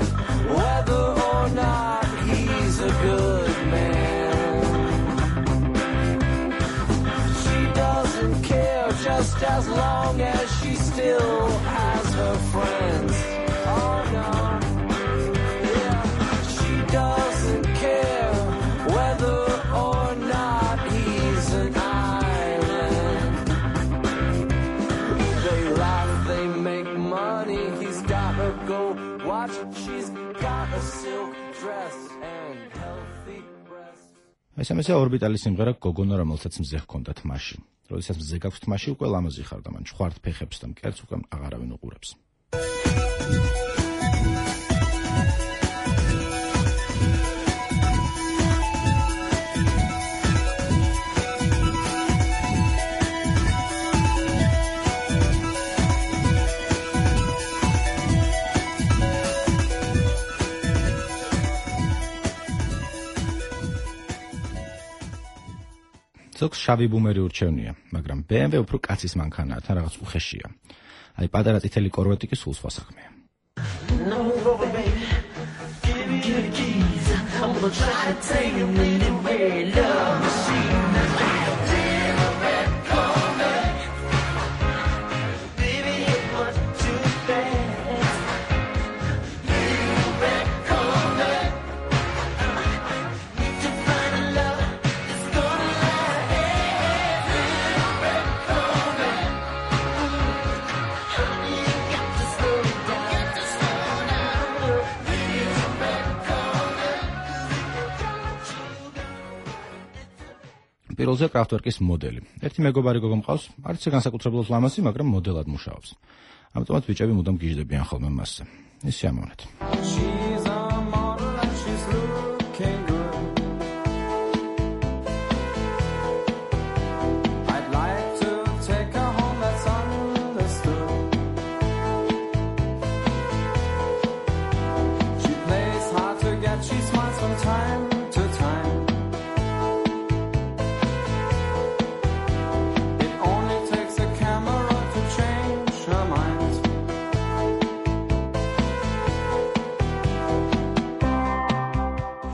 whether or not he's a good man. She doesn't care just as long as she still has her friends. Oh no. Yeah, she doesn't care whether or not he's an island. They laugh, they make money, he's gotta go watch, she's got a silk dress and healthy breasts. ეს ამაზე ორბიტალის სიმღერა გოგონა, რომელსაც მზე ჰქონდა თმაში. როდესაც მზე გაქვს თმაში, უკვე ლამაზი ხარ და მან ჭხვართ ფეხებს და მკერდს უკვე აღარავინ უყურებს. ზოგს შავი ბუმერი ურჩევნია, მაგრამ B M W უფრო კაცის მანქანაა, თან რაღაც უხეშია. აი პატარა წითელი კორვეტი კი სულ სხვა საქმეა. პირველზე კრაფტვერკის მოდელი. ერთი მეგობარი გოგო მყავს, არც განსაკუთრებულად ლამაზი, მაგრამ მოდელად მუშაობს. ამიტომაც ბიჭები მუდამ გიждდებიან ხოლმე მასზე. ეს სიამოვნეთ.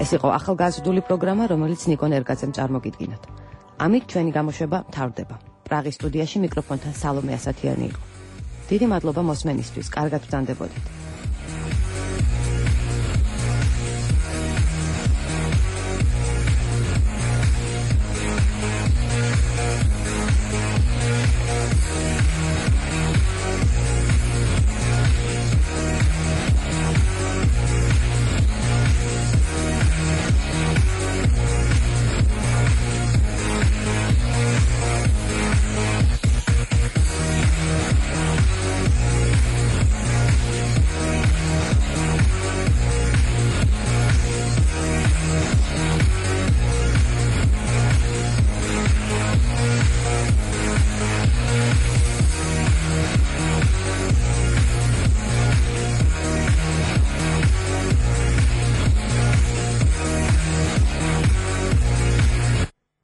ეს იყო ახალგაზრდული პროგრამა, რომელიც ნიკო ნერგაძემ წარმოგიდგინოთ. ამით ჩვენი გამოშვება მთავრდება. პრაღის სტუდიაში მიკროფონთან სალომე ასათიანი იყო. დიდი მადლობა მოსმენისთვის, კარგად ვწანდებოდეთ.